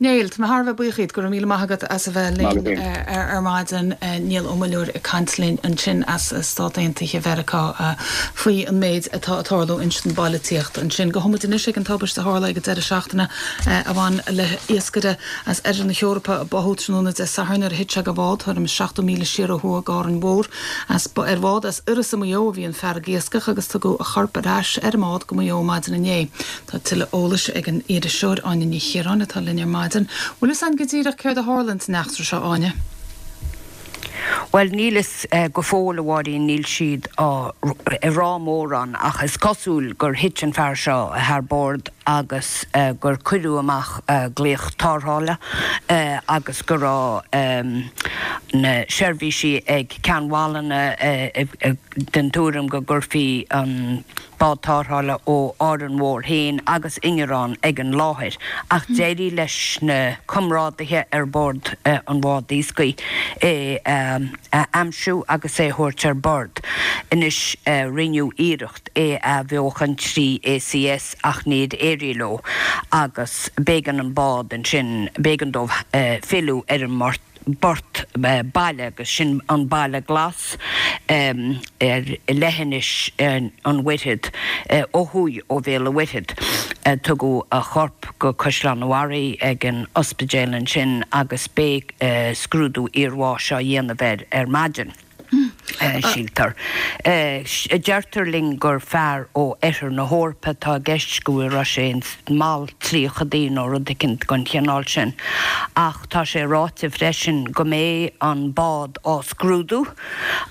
Niall, tá mé thar a bheith buíoch díot, go raibh míle maith agat as a bheith linn ar maidin. Niall Ó Muilleoir ag caint linn ansin as Stát Aontaithe Mheiriceá faoi an méid atá ag tarlú ins an bpolaitíocht ansin. Gabhfaidh muid anois ag an tubaiste a tharla ag an deireadh seachtaine a bhain le hiascaire as oirthear na hEorpa a báthadh tráthnóna Dé Sathairn nuair a thit sé de bhád tuairim is seachtó míle siar ó thuaidh d'Árainn Mhór. As ar bhád as Iorras i Maigh Eo a bhí an fear ag iascach agus tugadh a chorp ar ais ar an mbád go Maigh Eo maidin inné. Tá tuilleadh eolais ag an iriseoir Áine Ní Chiaráin atá linn ar maidin. Bhfuil fhios againn go díreach céard a tharla ins an eachtra seo, Áine? Bhuel, níl fhios go fóill, a Mháirín, níl siad ag rá mórán ach is cosúil gur thit an fear seo thar bord agus gur cuireadh amach glaoch tarrthála agus go raibh na seirbhísí ag Ceann Mhálanna den tuairim go gcuirfí an bád tarrthála ó Árainn Mhór féin agus ingearán ag an láthair ach d'éirigh leis na comrádaithe ar bord an bhád iascaigh é a aimsiú agus é a thabhairt ar bord. Anois rinneadh iarracht é a athbheochan trí ACS ach níor éirigh leo agus b'éigean an bád ansin, b'éigean dóibh filleadh ar an bport baile agus sin an Baile Glas ar leithinis an Mhuirthead ó thuaidh ó Bhéal an Mhuirthead. Tugadh a chorp go Caisleán an Bharraigh ag an ospidéal ansin agus beidh scrúdú iarbháis á dhéanamh air ar maidin. síltear. Deirtear linn gur fear ó oirthear na hEorpa atá i gceist, go raibh sé ins mall tríochadaí nó rud eicínt den chineál sin. Ach tá sé ráite freisin go mbeidh an bád á scrúdú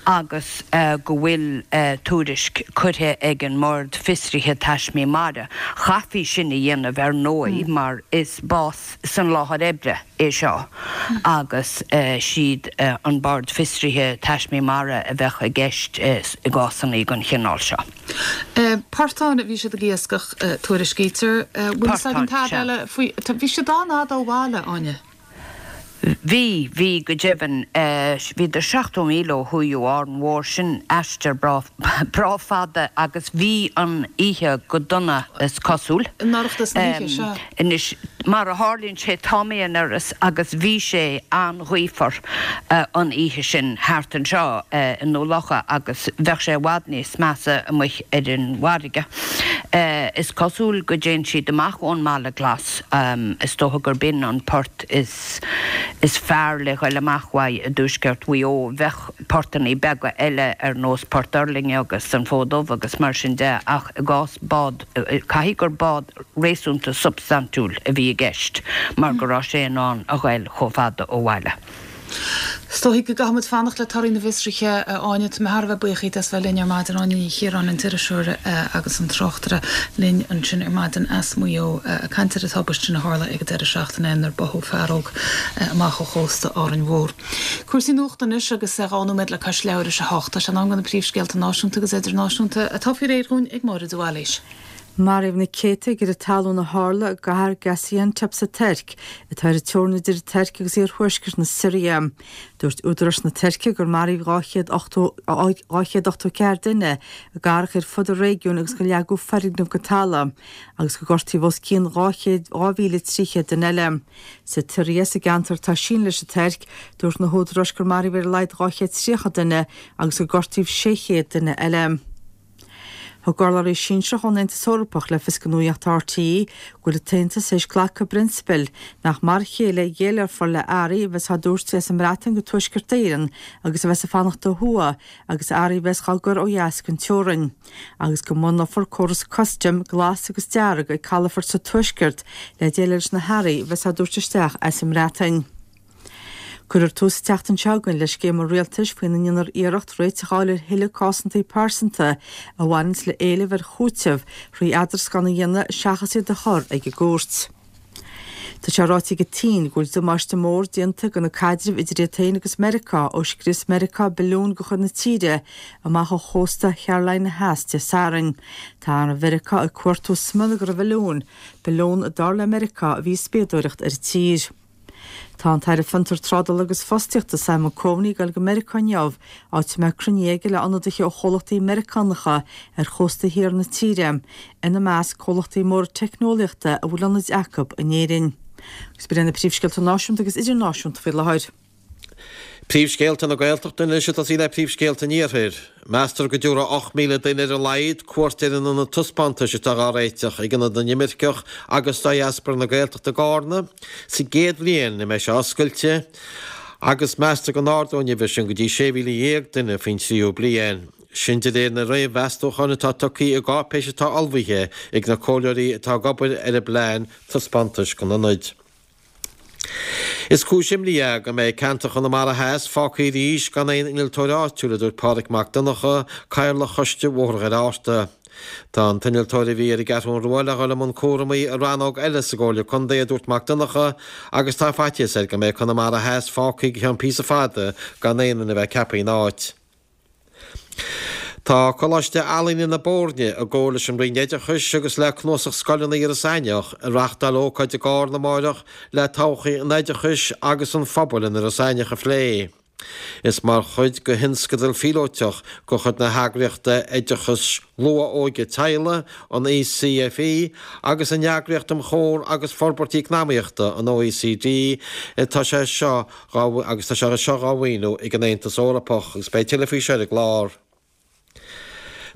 agus go bhfuil tuairisc curtha ag an mBord Fiosraithe Taismí Mara. Chaithfí sin a dhéanamh ar ndóigh mar is bás san láthair oibre é seo agus siad an Bord Fiosraithe Taismí Mara a bheadh i gceist i gcásanna den chineál seo. Portán a bhí siad ag iascach, tuairiscítear. Bhfuil fhios againn tada eile faoi? Bhí siad an-fhada ó bhaile, Áine. Bhí, bhí go deimhin. Bhíodar seachtó míle ó thuaidh ó Árainn Mhór, sin aistear breá, breá fada agus bhí an oíche go dona is cosúil. In Oireachtas na hoíche, sea. Anois, mar a tharlaíonn sé, tá mé in Iorras agus bhí sé an-ghaofar an oíche sin thart anseo i nDubh Locha agus bheadh sé i bhfad níos measa amuigh ar an bhfarraige. Is cosúil go dtéann siad amach ón mBaile Glas, is dócha gurb in an port is is fearr le ghoil amach uaidh i dtuaisceart Mhaigh Eo. Bheadh portannaí beaga eile ar nós Port Uirlinge agus an Fód Dubh agus mar sin de ach i gcás bád, caithfidh gur bád réasúnta substaintiúil a bhí i gceist mar go raibh sé in ann a ghoil chomh fada ó bhaile. Is dóigh go gcaithfidh muid fanacht le torthaí na bhfiosruithe, a Áine. Tá mé thar a bheith buíoch díot as bheith linn ar maidin. Áine Ní Chiaráin, an t-iriseoir agus an tráchtaire linn ansin ar maidin as Maigh Eo ag caint ar an tubaiste sin a tharla ag an deireadh seachtaine inar báthadh fear óg amach ó chósta Árainn Mhór. Cúrsaí nuachta anois agus dhá nóiméad le cois leathuair théis a hocht. Tá sé in am do na príomhscéalta náisiúnta agus idirnáisiúnta atá faoi réir dhúinn ag Máire de Bhailís. Maraíodh na céadta ag crith talún a tharla i gcathair Gaziantep sa Tuirc, atá ar an teorainn idir an Tuirc agus iarthuaisceart na Siria. Dúirt údaráis na Tuirce gur maraíodh dhá chéad ochtó dhá chéad ochtó ceathair duine i gcathracha ar fud an réigiúin agus gur leagadh foirgnimh go talamh agus gur gortaíodh os cionn dhá chéad dhá mhíle trí chéad duine eile. Sa tSiria, sa gceantar atá sínte leis an Tuirc, dúirt na húdaráis gur maraíodh ar a laghad dhá chéad tríocha duine agus gur gortaíodh sé chéad duine eile. Thug urlabhraí sinsearach ón Aontas Eorpach le fios do Nuacht RTÉ go bhfuil an tAontas théis glacadh i bprionsabal nach mar a chéile a dhéileálfar le earraí a bheas á dtabhairt as an mBreatain go Tuaisceart Éireann agus a bheas ag fanacht ó thuaidh agus earraí a bheas á gcur ó dheas den teorainn agus go mbunófar córas custaim glas agus dearg ag calafoirt sa Tuaisceart le déileáil leis na hearraí a bheas á dtabhairt isteach as an mBreatain. Cuirfear tús an tseachtain seo chugainn le scéim an rialtais faoina ndéanfar iarracht réiteach a fháil ar thuilleadh cásantaí pearsanta a bhaineanns le éilimh ar chúiteamh thrí eadrascán a dhéanamh seachas iad a chur ag an gcúirt. Tá sé ráite ag an tSín go bhfuil damáiste mór déanta do na caidrimh idir iad féin agus Meiriceá ó scrios Meiriceá balún de chuid na tíre amach ó chósta Carolina Theas Dé Sathairn. Tá arm Mheiriceá ag cuartú smionagar an bhalúin, balún dar le Meiriceá a bhí ag spiadóireacht ar an tír. Tá an tAire Fiontar, Trádála agus Fostaíochta Simon Coveney ag dul go Meiriceá inniu, áit a mbeidh cruinniú aige le ionadaithe ó chomhlachtaí Meiriceánacha ar chósta thiar na tíre, ina measc comhlachtaí móra teicneolaíochta a bhfuil ionaid acu in Éirinn. Agus b'in na príomhscéalta náisiúnta agus idirnáisiúnta faoi láthair. Príomhscéalta na Gaeltachta anois ag tosaí le príomhscéalta an Iarthair. Meastar go dtabharfaidh ocht míle duine ar a laghad cuairt ar an ionad taispeántais atá á réiteach ag Ionad na nImirceach agus Diaspora na Gaeltachta i gCarna sa gcéad bhliain a mbeidh sé oscailte agus meastar go n-ardóidh an uimhir sin go dtí sé mhíle dhéag duine faoin tríú bliain. Sin de réir na réamh-mheastúchán atá tugtha i gcáipéis atá ullmhaithe ag na comhairleoirí atá ag obair ar an bplean taispeántais don ionad. Is cúis imní é go mbeidh ceantar Chonamara Theas fágtha arís gan aon innealtóir áitiúil, a dúirt Pádraig Mac Donncha, Cathaoirleach Choiste Bhóthar Dhoire Fhatharta. Tá an t-innealtóir a bhí ar an gCeathrú Rua le dhul i mbun cúramaí i rannóg eile sa gComhairle Contae, a dúirt Mac Donncha, agus tá faitíos air go mbeidh Conamara Theas fágtha go ceann píosa fada gan aon duine a bheith ceaptha ina áit. Tá Coláiste Ealaíne na Boirne, i gcomhar leis an Roinn Oideachais agus le Cnuasach Scoileanna Iorras Aithneach, ag reáchtáil ócáid i gCarna amáireach le todhchaí an oideachais agus an phobail in Iorras Aithneach a phlé. Is mar chuid de thionscadal phíolótach de chuid na heagraíochta Oideachais Luath-Óige Teaghlaigh, an ECFE, agus an Eagraíocht um Chomhar agus Forbairt Eacnamaíochta, an OECD, atá sé seo agus tá sé seo dhá mhaoiniú ag an Aontas Eorpach agus beidh tuilleadh faoi seo ar an gclár.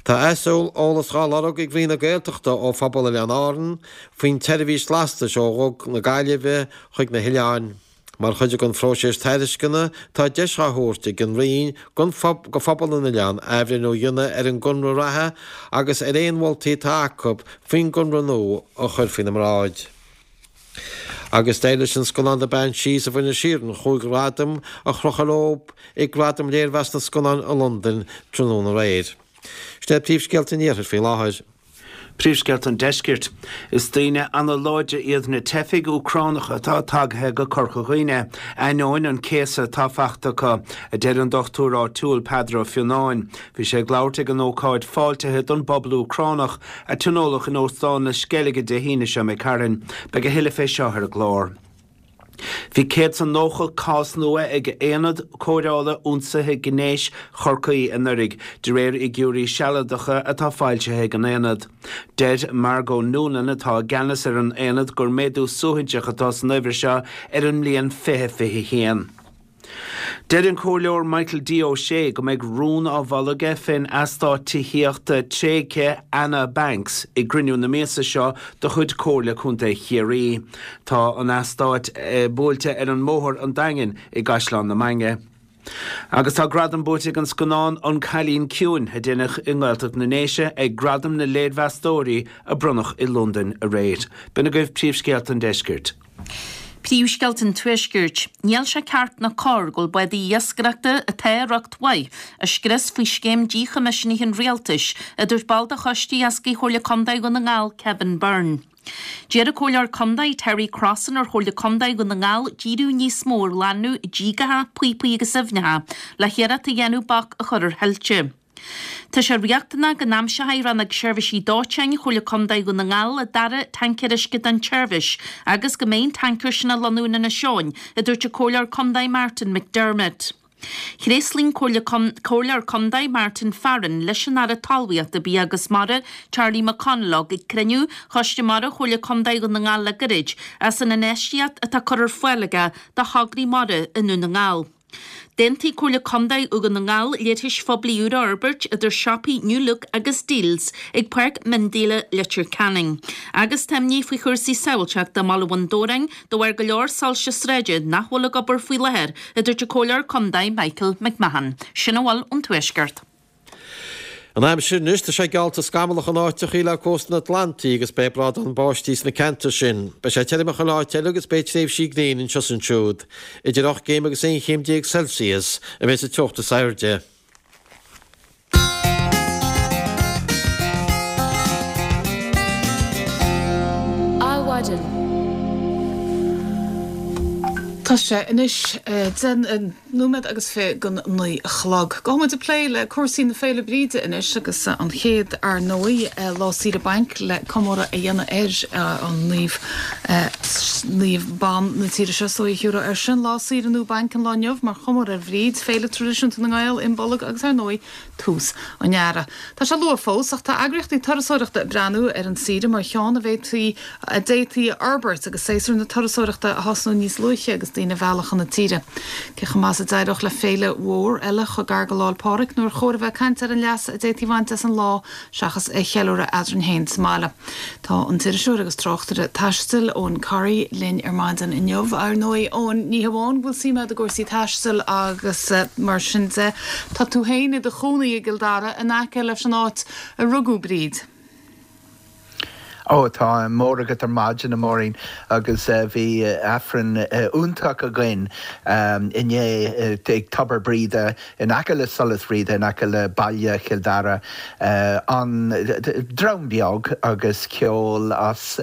Tá aiseolas dhá lorg ag Roinn na Gaeltachta ó phobal Oileáin Árann faoin tseirbhís lastais ó Dhuga na Gaillimhe chuig na hoileáin. Mar chuid den phróiseas tairisceana, tá deis dhá thabhairt ag an Roinn go phobal na n-oileán athbhreithniú a dhéanamh ar an gconradh reatha agus ar aon mholtaí atá acu faoin gconradh nua a chur faoina mbráid. Agus d'éirigh leis an scannán The Banshees of Inisherin chúig ghradam a chrochadh leo ag Gradaim Léirmheas na Scannán i Londain tráthnóna aréir. Sin iad príomhscéalta an Iarthair faoi láthair. Príomhscéalta an Deiscirt. Is daoine ana-láidre iad na teifigh Úcránacha atá tagtha go Corca Dhuibhne, ainneoin an céasadh atá fachta acu, a deir an dochtúir áitiúil Peadar Ó Fionnáin. Bhí sé ag labhairt ag an ócáid fáiltithe don bpobal Úcránach a tionóladh in Óstán na Sceilge Dé hAoine seo imigh tharainn. Beidh a thuilleadh fé seo ar an gclár. Bhí céad 's a nócha cás nua ag Aonad Cóireála Ionsaithe Gnéis Chorcaí anuraidh, de réir fhigiúirí sealadacha atá foilsithe ag an Aonad. Deir Margot Noonan, atá i gceannas ar an Aonad, gur méadú suaithinseach atá san uimhir seo ar an mbliain fiche fiche a haon. Deir an Comhairleoir Michael D Ó Sé go mbeidh rún á mholadh aige fén eastát tithíochta tréigthe Anna Banks i gcruinniú na míosa seo de chuid Comhairle Contae Chiarraí. Tá an eastát buailte ar an mBóthar an Daingin i gCaisleán na Mainge. Agus tá gradam buaite ag an scannán An Cailín Ciúin, a deineadh i nGaeltacht na nDéise, ag Gradaim na Léirmheastóirí a bronnadh i Londain aréir. B'in agaibh príomhscéalta an deiscirt. Príomhscéalta an Tuaiscirt. Níl sé ceart ná cóir go bhfuil bádaí iascaireachta atá i riocht mhaith á scrios faoi scéim díchoimisithe an Rialtais, a dúirt ball de Choiste Iascaigh Chomhairle Contae Dhún na nGall, Kevin Byrne. D'iarr an Comhairleoir Contae Terry Crossan ar Chomhairle Contae Dhún na nGall díriú níos mó ar ghlanadh díogacha, píopaí agus aibhneacha le hiarracht a dhéanamh bac a chur ar thuilte. Tá sé riachtanach go n-aimseoidh Rannóg Seirbhísí Dóiteáin Chomhairle Contae Dhún na nGall an dara tancaer uisce don tseirbhís agus go mbeidh an tancaer sin á lonnú in Inis Eoghain, a dúirt an Comhairleoir Contae Martin McDermott. Thréaslaigh an Comhairleoir Contae Martin Farren leis an Aire Talmhaíochta, Bia agus Mara, Charlie McConalogue ag cruinniú Choiste Mara Chomhairle Contae Dhún na nGall le gairid as an infheistíocht atá curtha ar fáil aige do thograí mara i nDún na nGall. D'aontaigh Comhairle Contae Dhún na nGall leithris phoiblí úr a fhorbairt idir siopaí New Look agus Dealz ag Páirc Mhiondíola Leitir Ceanainn. Agus tá imní faoi chúrsaí sábháilteachta i mBaile Bhun Dobhráin de bharr go leor soilse sráide nach bhfuil ag obair faoi láthair, a dúirt an Comhairleoir Contae Michael McMahon. Sin a bhfuil ón Tuaisceart. An aimsir anois, tá sé geallta scamallach in áiteachaí le cósta an Atlantaigh agus beidh brádán báistí sna ceantair sin. Beidh sé tirim i chuile áit eile agus beidh tréimhsí gréine anseo is ansiúd. Idir ocht gcéim agus aon chéim déag Celsius a bheidh sa teocht is airde. Adhmhaidin. Tá sé anois deich nóiméad agus fiche go naoi a chlog. Gabhfaidh muid ag plé le cúrsaí na Féile Bríde anois agus an chéad ar ndóigh lá saoire bainc le comóradh a dhéanamh ar an naomh naomh ban na tíre seo so a thiúradh ar sin lá saoire nó bainc an lá inniu mar chomóradh ar Bhríd, féile traidisiúnta na nGael, Imbolg agus ar ndóigh tús an earraigh. Tá sé luath fós ach tá eagraíochtaí turasóireachta ag breathnú ar an saoire mar cheann a bhféadfaí a d'fhéadfaí a fhorbairt agus séasúr na turasóireachta a thosnú níos luaithe agus daoine a mhealladh chun na tíre. Cé chomh maith is a d'éireodh le féile mhór eile chomh gar go Lá 'le Pádraig nó ar chóir a bheith ag caint ar an leas a d'fhéadfaí a bhaint as an lá seachas é a cheiliúradh eadrainn féin sa mbaile. Tá an t-iriseoir agus tráchtaire taistil Eoghan Corry linn ar maidin inniu. Ar ndóigh Eoghan ní hamháin go bhfuil suim agat i gcúrsaí taistil agus mar sin de, tá tú féin i do chónaí i gCill Dara in aice leis an áit a rugadh Bríd. Ó tá mór agat ar maidin a Mháirín agus bhí Aifreann iontach againn inné ag Tobar Bríde in aice le Solas Bhríde in aice le baile Chill Dara an dream beag agus ceol as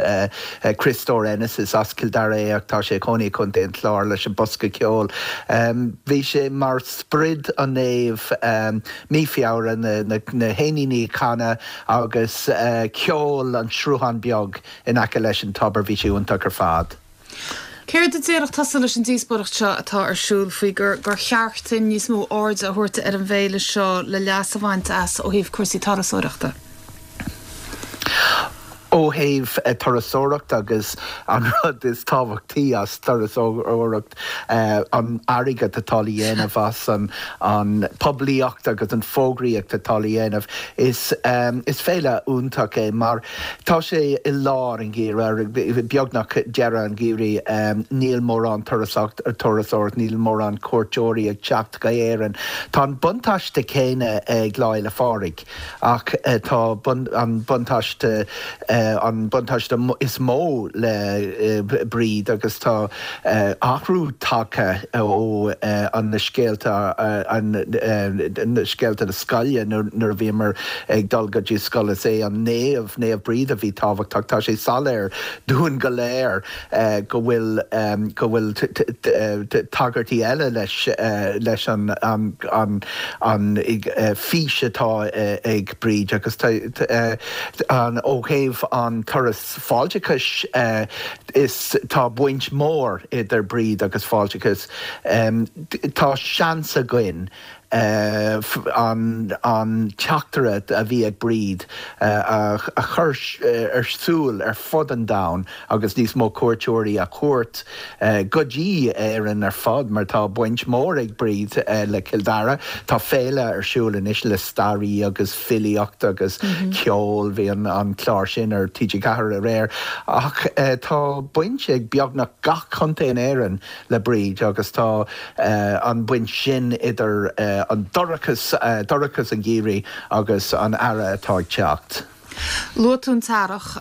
Criostóir Ennis is as Cill Dara é ach tá sé ina chónaí i gContae an Chláir leis an bosca ceoil. Bhí sé mar sprid an naomh mí Feabhra na héiníní ag canadh agus ceol an sruthán beag in aice leis an tobar bhí sé iontach ar fad. Céard a déarfadh tusa leis an díospóireacht seo atá ar siúl faoi gur gur cheart dúinn níos mó airde a thabhairt ar an bhféile seo le leas a bhaint as ó thaobh cúrsaí turasóireachta? Ó thaobh turasóireacht agus an rud is tábhachtaí as turasóireacht an airgead atá le dhéanamh as an an poiblíocht agus an fógraíocht atá le dhéanamh is is féile iontach é mar tá sé i lár an gheimhridh beagnach deireadh an gheimhridh níl mórán turasóireacht níl mórán cuairteoirí ag teacht go hÉirinn. Tá an buntáiste céanna ag Lá Fhéile Pádraig ach tá an buntáiste an buntáiste is mó le Bríd agus tá athrú tagtha ó an na scéalta an na scéalta na scoile nuair a bhíomar ag dul go dtí scoil is é an naomh Naomh Bríd a bhí tábhachtach tá sé soiléir dúinn go léir go bhfuil go bhfuil tagairtí eile leis leis an an an an fís atá ag Bríd agus an ó thaobh an turas fáilteachais is tá baint mór idir Bríd agus fáilteachas. Tá seans againn an an teachtaireacht a bhí ag Bríd a chur ar siúl ar fud an domhain agus níos mó cuairteoirí a thabhairt go dtí Éirinn ar fad mar tá baint mór ag Bríd le Cill Dara. Tá féile ar siúl anois le staraí agus filíocht agus ceol bhí an an clár sin ar TG Ceathair aréir ach tá baint ag beagnach gach contae in Éirinn le Bríd agus tá an baint sin idir an dorchas dorchas an gheimhridh agus an earrach atá ag teacht. Luaigh tú an t-earrach,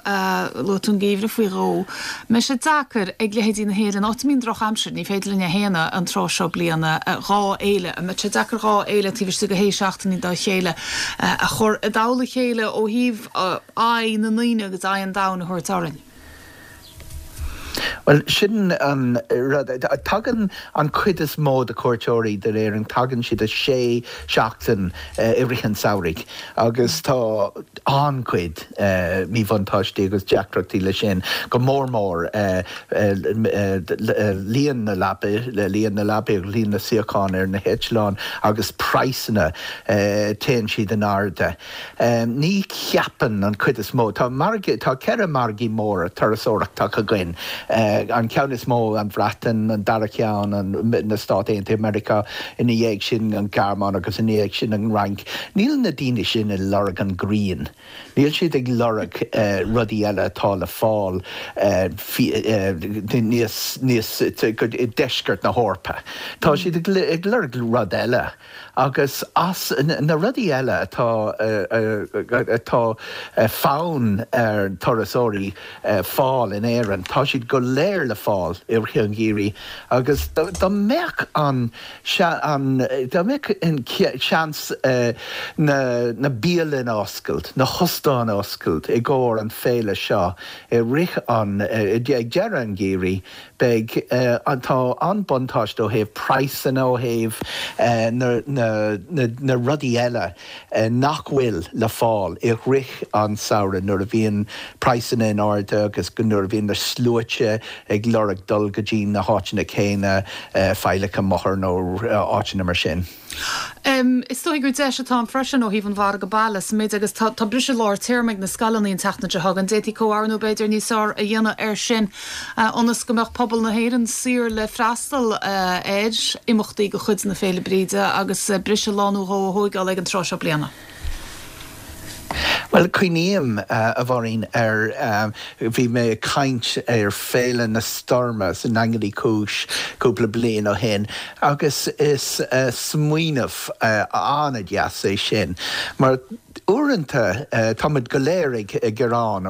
luaigh tú an geimhreadh faoi dhó. Mbeidh sé deacair ag leithéidí na hÉireann, áit a mbíonn drochaimsir, ní féidir linn a shéanadh an tráth seo bliana, dhá fhéile, an mbeidh sé deacair dhá fhéile taobh istigh de shé seachtainí dá chéile a chur i dtoll a chéile ó thaobh aghaidh na ndaoine agus aghaidh an domhain a thabhairt orainn? Bhuel sin an rud. Tagann an chuid is mó de chuairteoirí d'Éirinn, tagann siad a sé seachtain i rith an tsamhraidh agus tá an-chuid míbhuntáistí agus deacrachtaí leis sin, go mór mór líon na leapaí, líon na leapaí agus líon na suíochán ar na heitleáin agus praghsanna, téann siad in airde. Ní cheapann an chuid is mó, tá margaí, tá ceithre margaí móra turasóireachta againn, an ceann is mó an Bhreatain, an dara ceann an na Stáit Aontaithe Meiriceá, ina dhiaidh sin an Ghearmáin agus ina dhiaidh sin an Fhrainc. Níl na daoine sin ag lorg an ghrian. Níl siad ag lorg rudaí eile atá le fáil níos níos i deisceart na hEorpa. Tá siad ag lorg rud eile agus as na rudaí eile atá atá fonn ar turasóirí fáil in Éirinn, tá siad go léir léir le fáil i rith an gheimhridh agus dá mbeadh an dá mbeadh an seans na na bialanna a oscailt, na hóstáin a oscailt i gcomhair an féile seo i rith an ag deireadh an gheimhridh, beidh tá an buntáiste ó thaobh praghsanna ó thaobh na na na rudaí eile nach bhfuil le fáil i rith an samhradh nuair a bhíonn praghsanna in airde agus nuair a bhíonn na sluaite ag lorg dul go dtí na háiteanna céanna, Failleacha Mothar nó áiteanna mar sin. Is dóigh gur deis atá ann freisin ó thaobh an mhargadh baile sa méid agus tá briseadh lár téarma ag na scoileanna an tseachtain seo chugainn. D'fhéadfaí comhoiriúnú b'fhéidir níos fearr a dhéanamh air sin ionas go mbeadh pobal na hÉireann saor le freastal ar imeachtaí de chuid na Féile Bríde agus briseadh lá nó dhó a thóigeáil ag an tráth seo bliana. Bhuel, cuimhním, a Mháirín, ar, bhí mé ag caint ar Féile na Stoirme sa nDaingean Uí Chúis cúpla bliain ó shin agus is smaoineamh an-deas é sin mar uaireanta táimid go léir ag gearán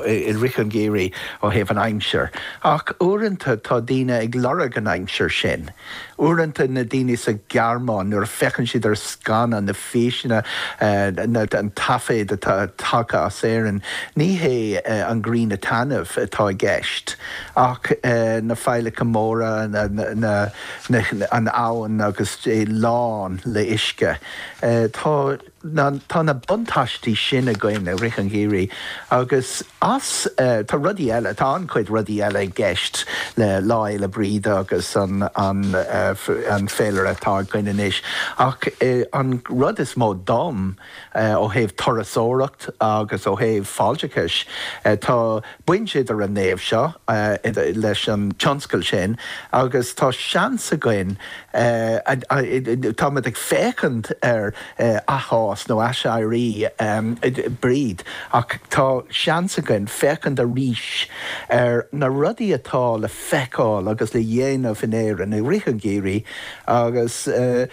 i rith an gheimhridh ó thaobh an aimsir ach uaireanta tá daoine ag lorg an aimsir sin. Uaireanta na daoine sa Ghearmáin nuair a féachann siad ar scannán, na físeanna, an taifead atá tagtha as Éirinn, ní hé an ghrian ag taitneamh atá i gceist ach na failleacha móra, an abhainn agus é lán le uisce. Tá. Tá na buntáistí sin againn i rith an gheimhridh agus as, tá rudaí eile, tá an-chuid rudaí eile i gceist le Lá Fhéile Bríde agus an an féilire atá againn anois ach an rud is mó dom ó thaobh turasóireacht agus ó thaobh fáilteachais, tá baint idir an naomh seo leis an tionscal sin agus tá seans againn, táimid ag féachaint ar athfhás nó aiséirí Bríd ach tá seans againn féachaint arís ar na rudaí atá le feiceáil agus le dhéanamh in Éirinn i rith an gheimhridh agus a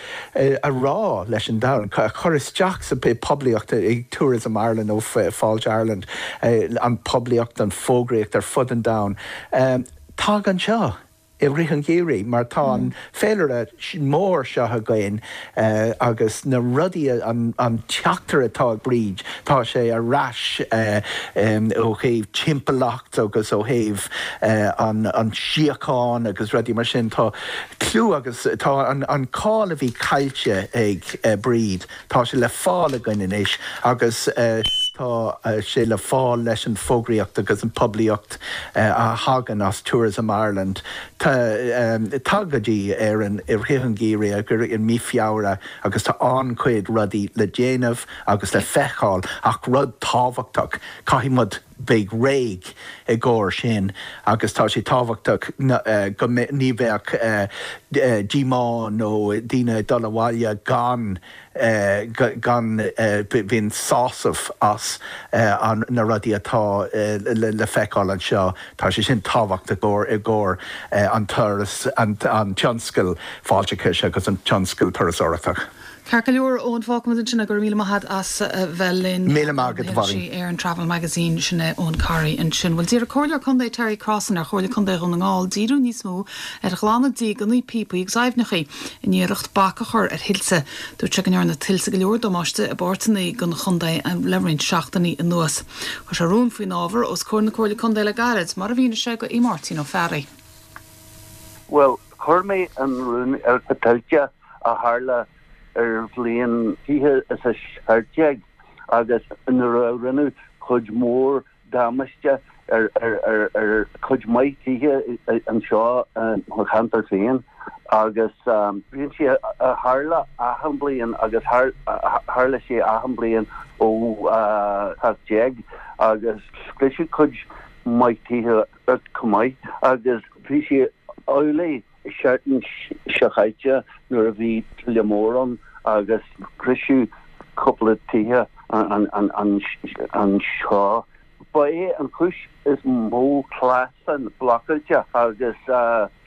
rá leis an domhan, a chur isteach sa poiblíocht ag Tourism Ireland nó Fáilte Ireland, an poiblíocht, an fógraíocht ar fud an domhain, tag anseo. i rith an gheimhridh mar tá an féilire mór seo againn agus na rudaí, an teachtaireacht atá ag Bríd, tá sé ar ais ó thaobh timpeallacht agus ó thaobh an síocháin agus rudaí mar sin. Tá clú agus tá an cáil a bhí caillte ag Bríd, tá sé le fáil againn anois agus tá sé le fáil leis an bhfógraíocht agus an poiblíocht a thagann as Tourism Ireland. Tag go dtí Éirinn i rith an gheimhridh i mí Feabhra agus tá an-chuid rudaí le déanamh agus le feiceáil ach rud tábhachtach, caithfidh muid bheith réidh i gcomhair sin agus tá sé tábhachtach go ní bheadh díomá nó daoine ag dul abhaile gan gan bhíonn sásamh as na rudaí atá le feiceáil anseo. Tá sé sin tábhachtach i gcomhair an turas, an tionscal fáilteachais agus an tionscal turasóireachta. Ceart go leor, Eoin, fágfaimid ansin é. Go raibh míle maith agat as a bheith linn. Míle maith agat, a Mháirín. Éireann Travel Magazine, sin é Eoin Corry ansin. Bhuel, d'iarr Comhairleoir Contae Terry Crossan ar Chomhairle Contae Dhún na nGall díriú níos mó ar ghlanadh dígeanna, píopaí agus aibhneacha in iarracht bac a chur ar thuilte. Dúirt sé go ndearna tuilte go leor damáiste i bpáirteanna den chontae le roinnt seachtainí anuas. Chuir sé rún faoin ábhar os comhair na Comhairle Contae le gairid, mar a mhínigh sé do Mháirtín Ó Fearraigh. Bhuel, chuir mé an rún ar na tuilte a tharla ar bhliain fiche is a seacht déag agus nuair a rinneadh cuid mhór damáiste ar ar chuid maith tithe anseo i mo cheantar féin agus bíonn sé a tharla achan bliain agus tharla sé achan bliain ó seacht déag agus scriosadh cuid maith tithe chomh maith agus bhí sé amhlaidh seachtain seo chaite nuair a bhí tuile mór ann agus scriosadh cúpla tithe anseo. Ba é an chúis is mó clamhsán blocáilte agus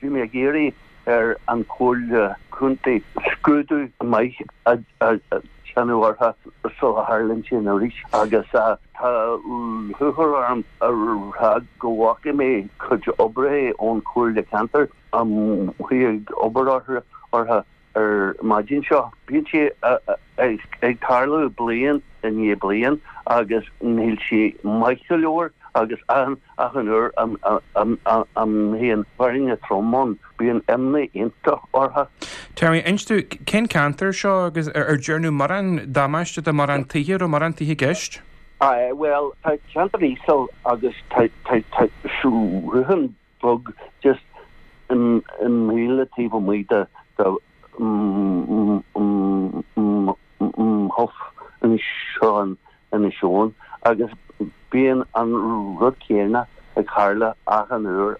bhí mé ag iarraidh ar an Chomhairle Contae scrúdú maith a déanamh orthu sula tharlaíonn sin arís agus tá lúcháir orm a rá go bhfaca mé cuid oibrithe ón Chomhairle Ceantair amuigh ag obair orthu ar maidin seo. Bíonn sé ag tarlú bliain i ndiaidh bliain agus níl sé maith go leor agus achan uair a mbíonn báisteach trom ann, bíonn imní iontach orthu. Terry, inis dúinn, cén ceantar seo agus ar déanadh mórán damáiste do mórán tithe, raibh mórán tithe i gceist? Bhuel, tá ceantar íseal agus tá sruthán beag just míle taobh amuigh de mo theach anseo in Inis Eoghain agus bíonn an rud céanna ag tharla achan uair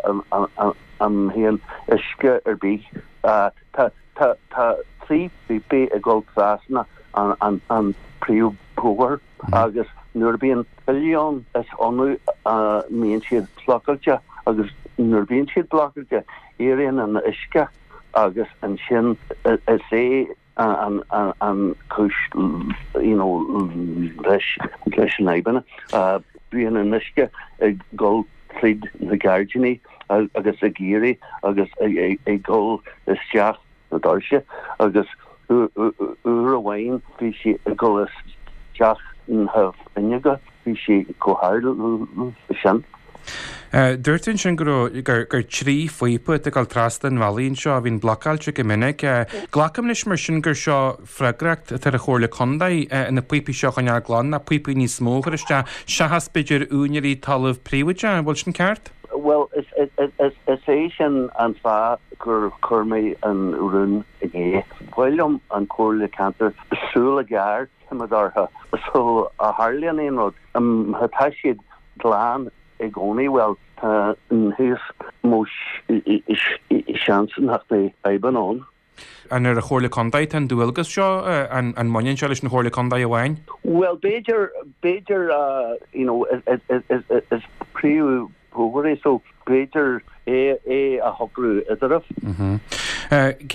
a mbíonn uisce ar bith. Tá tá trí phíopaí ag dul trasna an an príomhbhóthar agus nuair a bíonn tuile ann is annamh a mbíonn siad blocáilte agus nuair a bíonn siad blocáilte éiríonn an uisce agus ansin is é an an cúis you know leis leis an fhadhbanna. Bíonn an uisce ag dul tríd na gairdíní agus ag éirí agus ag dul isteach na doirse agus uair amháin bhí sé ag dul isteach na fuinneoga, bhí sé chomh hard sin. Dúirt tú ansin go raibh gur gur trí phíopa atá ag dul trasna an bhealaigh anseo a bhíonn blocáilte go minic. Glacaim leis mar sin gur seo freagracht atá ar an Chomhairle Contae na píopaí seo a choinneáil glan, na píopaí níos mó a chur isteach seachas b'fhéidir úinéirí talamh príobháideach. An bhfuil sin ceart? Bhuel, is is is é sin an fáth gur chuir mé an rún inné. Ba mhaith liom an Comhairle Ceantair súil ghéar a choimeád orthu sula tharlaíonn aon rud. Má tá siad glan i gcónaí, bhuel, tá níos mó seans nach mbeidh fadhbanna ann. An ar an Chomhairle Contae tá an dualgas seo, an an mbaineann sé leis an Chomhairle Contae amháin? Bhuel, b'fhéidir, b'fhéidir, you know, is príomhbhóthar é so b'fhéidir é é a shocrú eatarthu.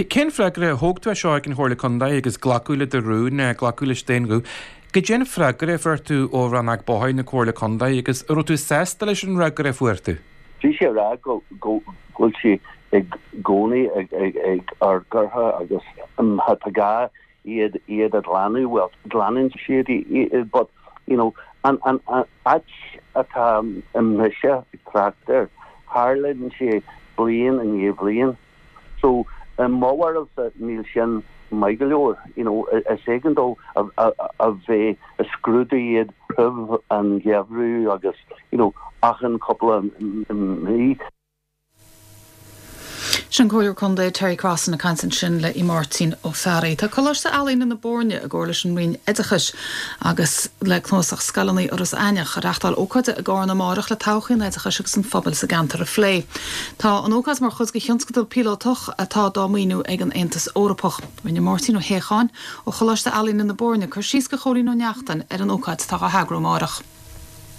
Cén freagra, thóg tú é seo ag an Chomhairle Contae agus glacadh le do rún, glacadh leis d'aon ghuth. Goidé an freagra a fuair tú ó Rannóg Bóthair na Comhairle Contae agus an raibh tú sásta leis an fhreagra a fuair tú? Bhí sé ag rá go go bhfuil sé i gcónaí ag ag ag amharc orthu agus má tá gá iad iad a ghlanadh, bhuel glanann siad iad but you know an an áit atá mise ag trácht air, tharlaíonn sé bliain i ndiaidh bliain. So i mo bharúilsa níl sin maith go leor, you know, is éigean dó a bheith ag scrúdú iad roimh an gheimhreadh agus, you know, achan cúpla mí. Sin Comhairleoir Contae Terry Crossan ag caint ansin le Máirtín Ó Fearraigh. Tá Coláiste Ealaíne na Boirne i gcomhar leis an Roinn Oideachais agus le Cnuasach Scoileanna Iorras Aithneach ag reáchtáil ócáide i gCarna amárach le todhchaí an oideachais agus an phobail sa gceantar a phlé. Tá an ócáid mar chuid de thionscadal píolótach atá dá maoiniú ag an Aontas Eorpach. Rinne Máirtín Ó hÉacháin ó Choláiste Ealaíne na Boirne cur síos do Chóilín Ó Neachtain ar an ócáid atá á heagrú amárach.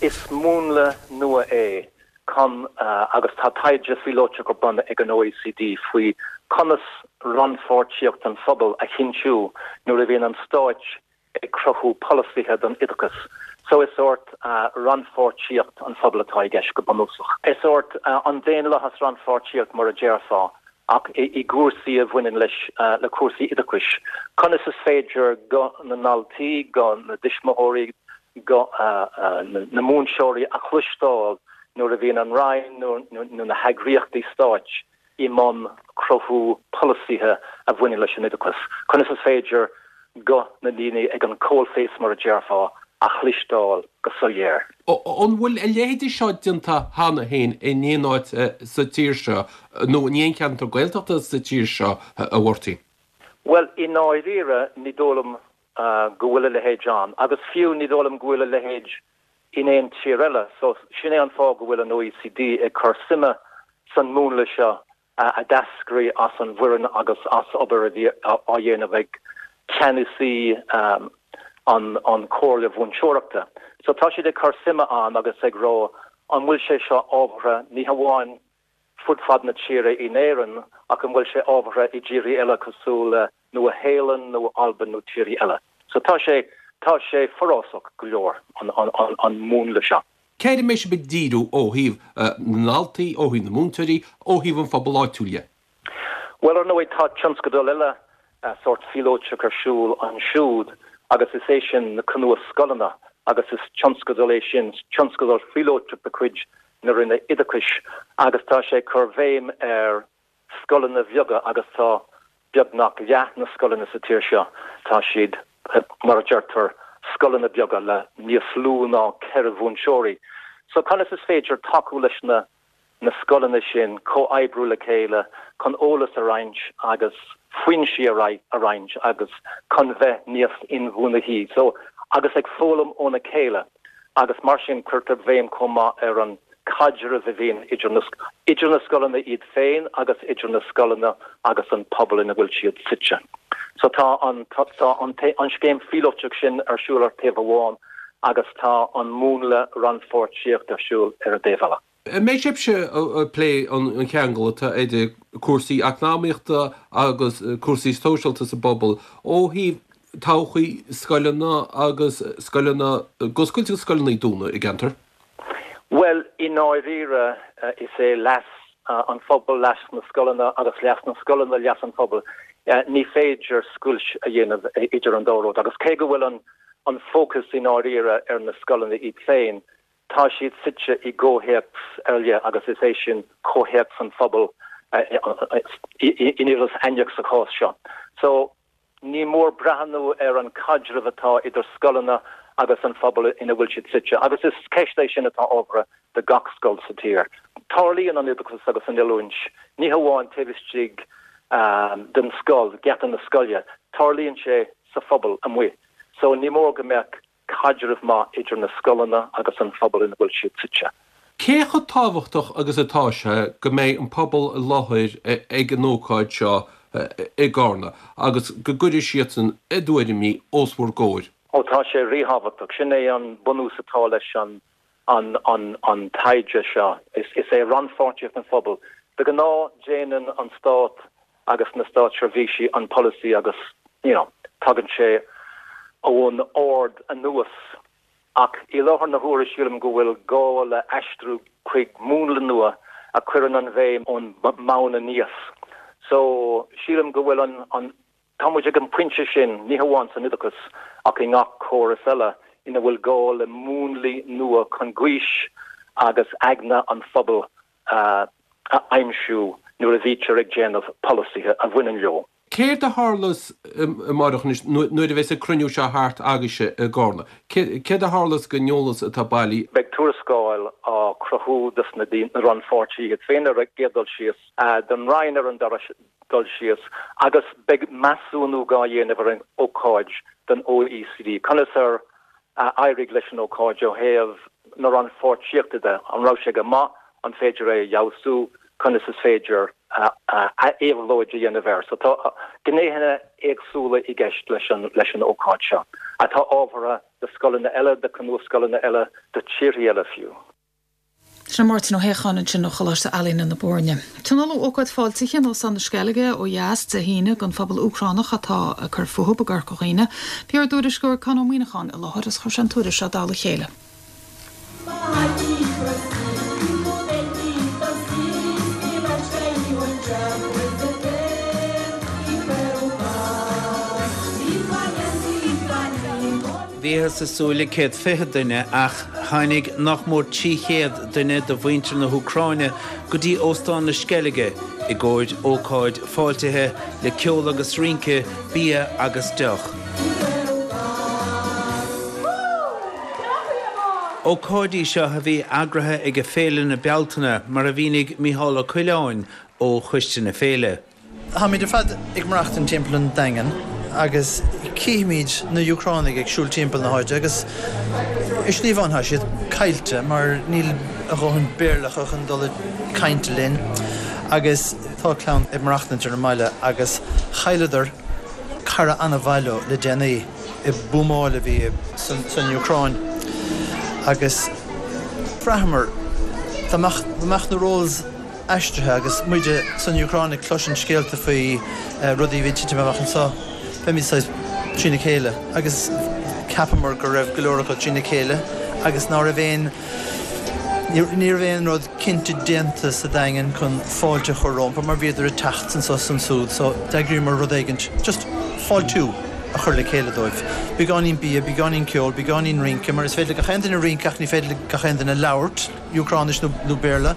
Is múnla nua é chun agus tá taighde phíolótach ar bun ag an OECD faoi conas rannpháirtíocht an phobail a chinntiú nuair a bhíonn an stáit ag cruthú polasaithe don oideachas. So is sórt rannpháirtíocht an phobail atá i gceist go bunúsach. Is sórt an daonlathas rannpháirtíocht mar a déarfá ach i gcúrsaí a bhaineann leis le cúrsaí oideachais. Conas is féidir guth na ndaltaí, guth na dtuismitheoirí, guth na múinteoirí a chloisteáil nuair a bhíonn an Roinn nó na heagraíochtaí stáit i mbun cruthú polasaithe a bhaineann leis an oideachas. Conas is féidir guth na ndaoine ag an coalface mar a déarfá a chloisteáil go soiléir. An bhfuil a leithéidí seo déanta cheana féin in aon áit sa tír seo nó in aon cheantar Gaeltachta sa tír seo, a Mháirtín? Bhuel, i ndáiríre, ní dóigh liom go bhfuil a leithéid ann, agus fiú ní dóigh liom go bhfuil a leithéid in aon tír eile. So sin é an fáth go bhfuil an OECD ag cur suime san múnla seo a d'eascraigh as an bhFoireann agus as obair a bhí á dhéanamh ag ceannasaí an an Chomhairle Mhúinteoireachta. So tá siad ag cur suime ann agus ag rá an bhfuil sé seo ábhartha ní hamháin fud fad na tíre in Éirinn ach an bhfuil sé ábhartha i dtíortha eile cosúil le Nua-Shéalainn nó Albain nó tíortha eile. So tá sé tá sé forásach go leor an, an, an, an múnla seo. Céard a mbeidh sibh ag díriú ó thaobh na ndaltaí, ó thaobh na múinteoirí, ó thaobh an phobail áitiúil dhe? Bhuel, ar ndóigh, tá tionscadal eile sórt phíolótach ar siúl ansiúd agus is é sin na cnuas-scoileanna agus is tionscadal é sin, tionscadal phíolótach de chuid na Roinne Oideachais agus tá sé ag cur bhéim ar scoileanna bheaga agus tá beagnach leath na scoileanna sa tír seo, tá siad, mar a deirtear, scoileanna beaga le níos lú ná ceithre mhúinteoirí. So conas is féidir tacú leis na na scoileanna sin comhoibriú le chéile chun eolas a roinnt agus foinsí a roinnt agus chun bheith níos inbhuanaithí. So agus ag foghlaim óna chéile agus mar sin cuirtear béim chomh maith ar an caidreamh a bhíonn idir na idir na scoileanna iad féin agus idir na scoileanna agus an pobal ina bhfuil siad suite. So tá an tá an an scéim phíolótach sin ar siúl ar taobh amháin agus tá an múnla rannpháirtíocht ar siúl ar an dtaobh eile. An mbeidh sibhse ag plé an cheangal atá idir cúrsaí eacnamaíochta agus cúrsaí sóisialta sa bpobal ó thaobh todhchaí scoileanna agus scoileanna ag oscailt agus scoileanna ag dúnadh i gceantar? Bhuel, i ndáiríre is é leas an phobail leas na scoileanna agus leas na scoileanna leas an phobail. Ní féidir scoilt a dhéanamh idir an dá rud agus cé go bhfuil an an fócas i ndáiríre ar na scoileanna iad féin, tá siad suite i gcomhthéacs ar leith agus is é sin comhthéacs an phobail in Iorras Aithneach sa chás seo. So ní mór breathnú ar an caidreamh atá idir scoileanna agus an phobal ina bhfuil siad suite, agus is ceist é sin atá ábhartha do gach scoil sa tír. Tarlaíonn an oideachas agus an oiliúint ní hamháin taobh istigh den scoil, geata na scoile, tarlaíonn sé sa phobal amuigh. So ní mór go mbeadh caidreamh maith idir na scoileanna agus an phobal ina bhfuil siad suite. Cé chomh tábhachtach agus atá sé go mbeidh an pobal i láthair ag an ócáid seo i gCarna agus go gcuirfidh siadsan a dtuairimí os bhur gcomhair? Ó tá sé ríthábhachtach. Sin é an bunús atá leis an an an an taighde seo. Is is é rannpháirtíocht an phobail. De ghnáth déanann an stát agus na státseirbhísí an polasaí agus you know, tagann sé ón ard anuas. Ach i láthair na huaire sílim go bhfuil gá le aistriú chuig múnla nua a chuireann an bhéim ón mbonn aníos. So sílim go bhfuil an an tá muid ag an pointe sin ní hamháin san oideachas ach i ngach córas eile ina bhfuil gá le múnlaí nua chun gaois agus aigne an phobail uh, a aimsiú nuair a bhítear ag déanamh polasaithe a bhaineann leo. Céard a tharlós amárach anois nuair a bheas an cruinniú seo thart agaibhse i gCarna? Céard a tharlós don eolas atá bailithe? Beidh tuarascáil á cruthú dos na na rannpháirtithe iad féin ar an gcéad dul síos, don Roinn ar an dara dul síos, agus beidh measúnú á dhéanamh ar an ócáid don OECD. Conas ar éirigh leis an ócáid ó thaobh na rannpháirtíochta de, an raibh sé go maith, an féidir é a fheabhsú, conas is féidir éabhlóid a dhéanamh air. So tá gnéithe éagsúla i gceist leis an leis an ócáid seo, atá ábhartha do scoileanna eile, do chnuas-scoileanna eile, do tíortha eile fiú. Sin Máirtín Ó hÉacháin ansin ó Choláiste Ealaíne na Boirne. Tionóladh ócáid fáiltithe in Óstán na Sceilge ó dheas Dé hAoine don phobal Úcránach atá ag cur fúthu i gCorca Dhuibhne. Bhí ár dtuairisceoir Conn Ó Muíneacháin i láthair is chuir sé an tuairisc seo i dtoll a chéile. Bhíothas ag súil le céad fiche duine ach tháinig nach mór trí chéad duine de mhuintir na hÚcráine go dtí Óstán na Sceilge i gcomhair ócáid fáiltithe le ceol agus rince, bia agus deoch. Ócáid í seo a bhí eagraithe ag Féile na Bealtaine, mar a mhínigh Mícheál Ó Coileáin ó choiste na féile. Táimid ar fad ag maireachtaint timpeall an Daingean agus cífimid na Úcránaigh ag siúl timpeall na háite agus i slí amháin tá siad caillte mar níl a dhóthain Béarla acu chun dul ag caint linn agus tá clann ag maireachtaint ar an mbaile agus chailleadar cara an-mhaith leo le déanaí i buamáil a bhí san Úcráin agus bhraitheamar dá mbeadh na roles aistrithe agus muide san Úcráin ag cloisint scéalta faoi rudaí a bhí ag titim amach anseo. Bheimid saghas trína chéile agus cheapamar go raibh go leor acu trína chéile agus ná raibh aon ní raibh aon rud cinnte déanta sa Daingean chun fáilte a chur rompu mar bhíodar ag teacht anso is ansúd so d'eagraíomar rud éigint just fáiltiú a chur le chéile dóibh. Beagáinín bia, beagáinín ceoil, beagáinín rince mar is féidir le gach aon duine rince ach ní féidir le gach aon duine labhairt Úcráinis nó nó Béarla.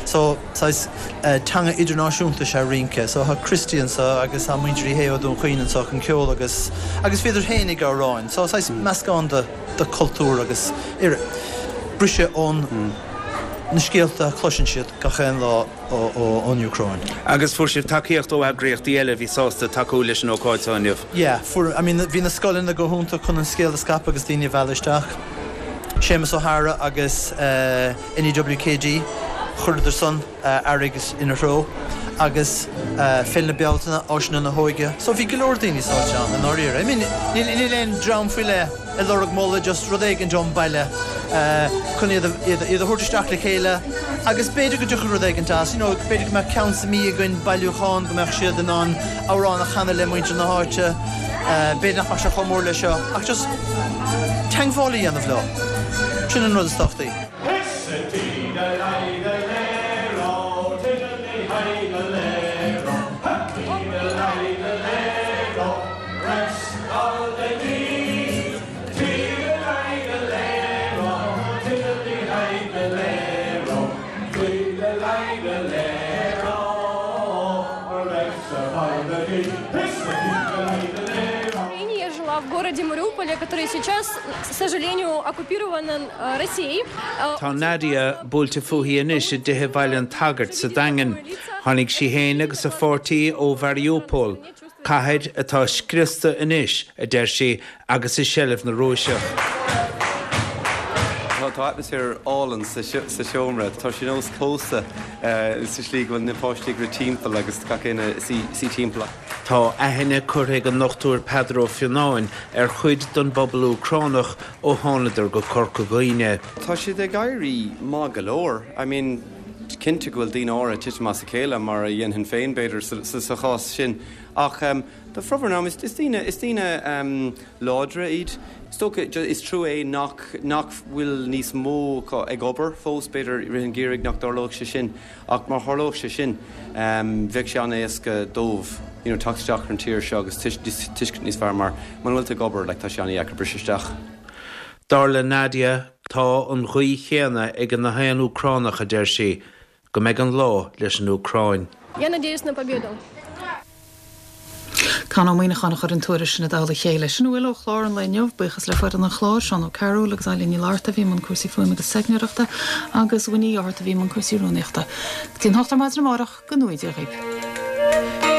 So saghas teanga idirnáisiúnta is ea rince. So tá Christy anso agus tá muintir Uí Shé ó Dún Chaoin anso chun ceol agus agus bhíodar féin ag amhráin. So saghas meascán de de chultúr agus briseadh ón na scéalta a chloiseann siad gach aon lá ón Úcráin. Agus fuair sibh tacaíocht ó eagraíochtaí eile a bhí sásta tacú leis an ócáid seo inniu? Yeah, fuair, I mean bhí na scoileanna go hiontach chun an scéal a scaipeadh agus daoine a mhealladh isteach. Séamus O'Hara agus NEWKD, chuireadar san airgead ina threo agus Féile na Bealtaine, Áiseanna na hÓige. So bhí go leor daoine sáite ann i ndáiríre. I mean níl aon dream faoi leith ag lorg moladh, just rud éigin ón baile chun iad a thabhairt isteach le chéile agus b'fhéidir go dtiocfadh rud éigin as, you know, b'fhéidir go mbeadh ceann sa mí againn, bailiúchán, go mbeadh siad in ann amhrán a chanadh le muintir na háite, b'fhéidir nach mbeadh sé chomh mór le seo ach just teagmháil a dhéanamh leo, sin an rud is tábhachtaí. Tá Nadia buailte fúithi anois i dtithe Bhaile an tSagairt sa Daingean. Tháinig sí féin agus a pháirtí ó Mhariupol, cathair atá scriosta anois, a deir sí, agus i seilbh na Rúiseach. Tá atmaisféar álainn sa seomra. Tá sé nós cósta sa slí go bhfuil na páistí ag rith timpeall agus gach éinne suí timpeall. Tá aithne curtha ag an nDochtúir Peadar Ó Fionnáin ar chuid den bpobal Úcránach ó thánadar go Corca Dhuibhne. Tá siad ag éirí maith go leor. I mean, cinnte go bhfuil daoine áirithe ag titim as a chéile mar a dhéanfainn féin b'fhéidir sa chás sin ach do formhór an am is daoine is daoine láidre iad. Is dócha is trua é nach nach bhfuil níos mó acu ag obair fós, b'fhéidir i rith an gheimhridh nach dtarlódh sé sin ach má tharlódh sé sin bheadh sé an-éasca dóibh you know teacht isteach ar an tír seo agus tuiscint níos fearr mar muna bhfuil tú ag obair like tá sé an-dheacair briseadh isteach. Dar le Nadia, tá an ghuí chéanna ag gach aon Úcránach, a deir sí, go mbeidh an lá leis an Úcráin. Я надеюсь на победу. Con Ó Muíneacháin a chuir an tuairisc sin i dtoll a chéile. Sin a bhfuil ó chlár an lae inniu. Buíochas le foireann an chláir, Seán Ó Cearúil agus Eilín Ní Fhlatharta a bhí i mbun cúrsaí fuaime agus teicneoireachta agus Winnie Fhátharta a bhí i mbun cúrsaí rúnaíochta. Go dtí an hocht ar maidin amárach, go ngnóthaí Dia dhaoibh.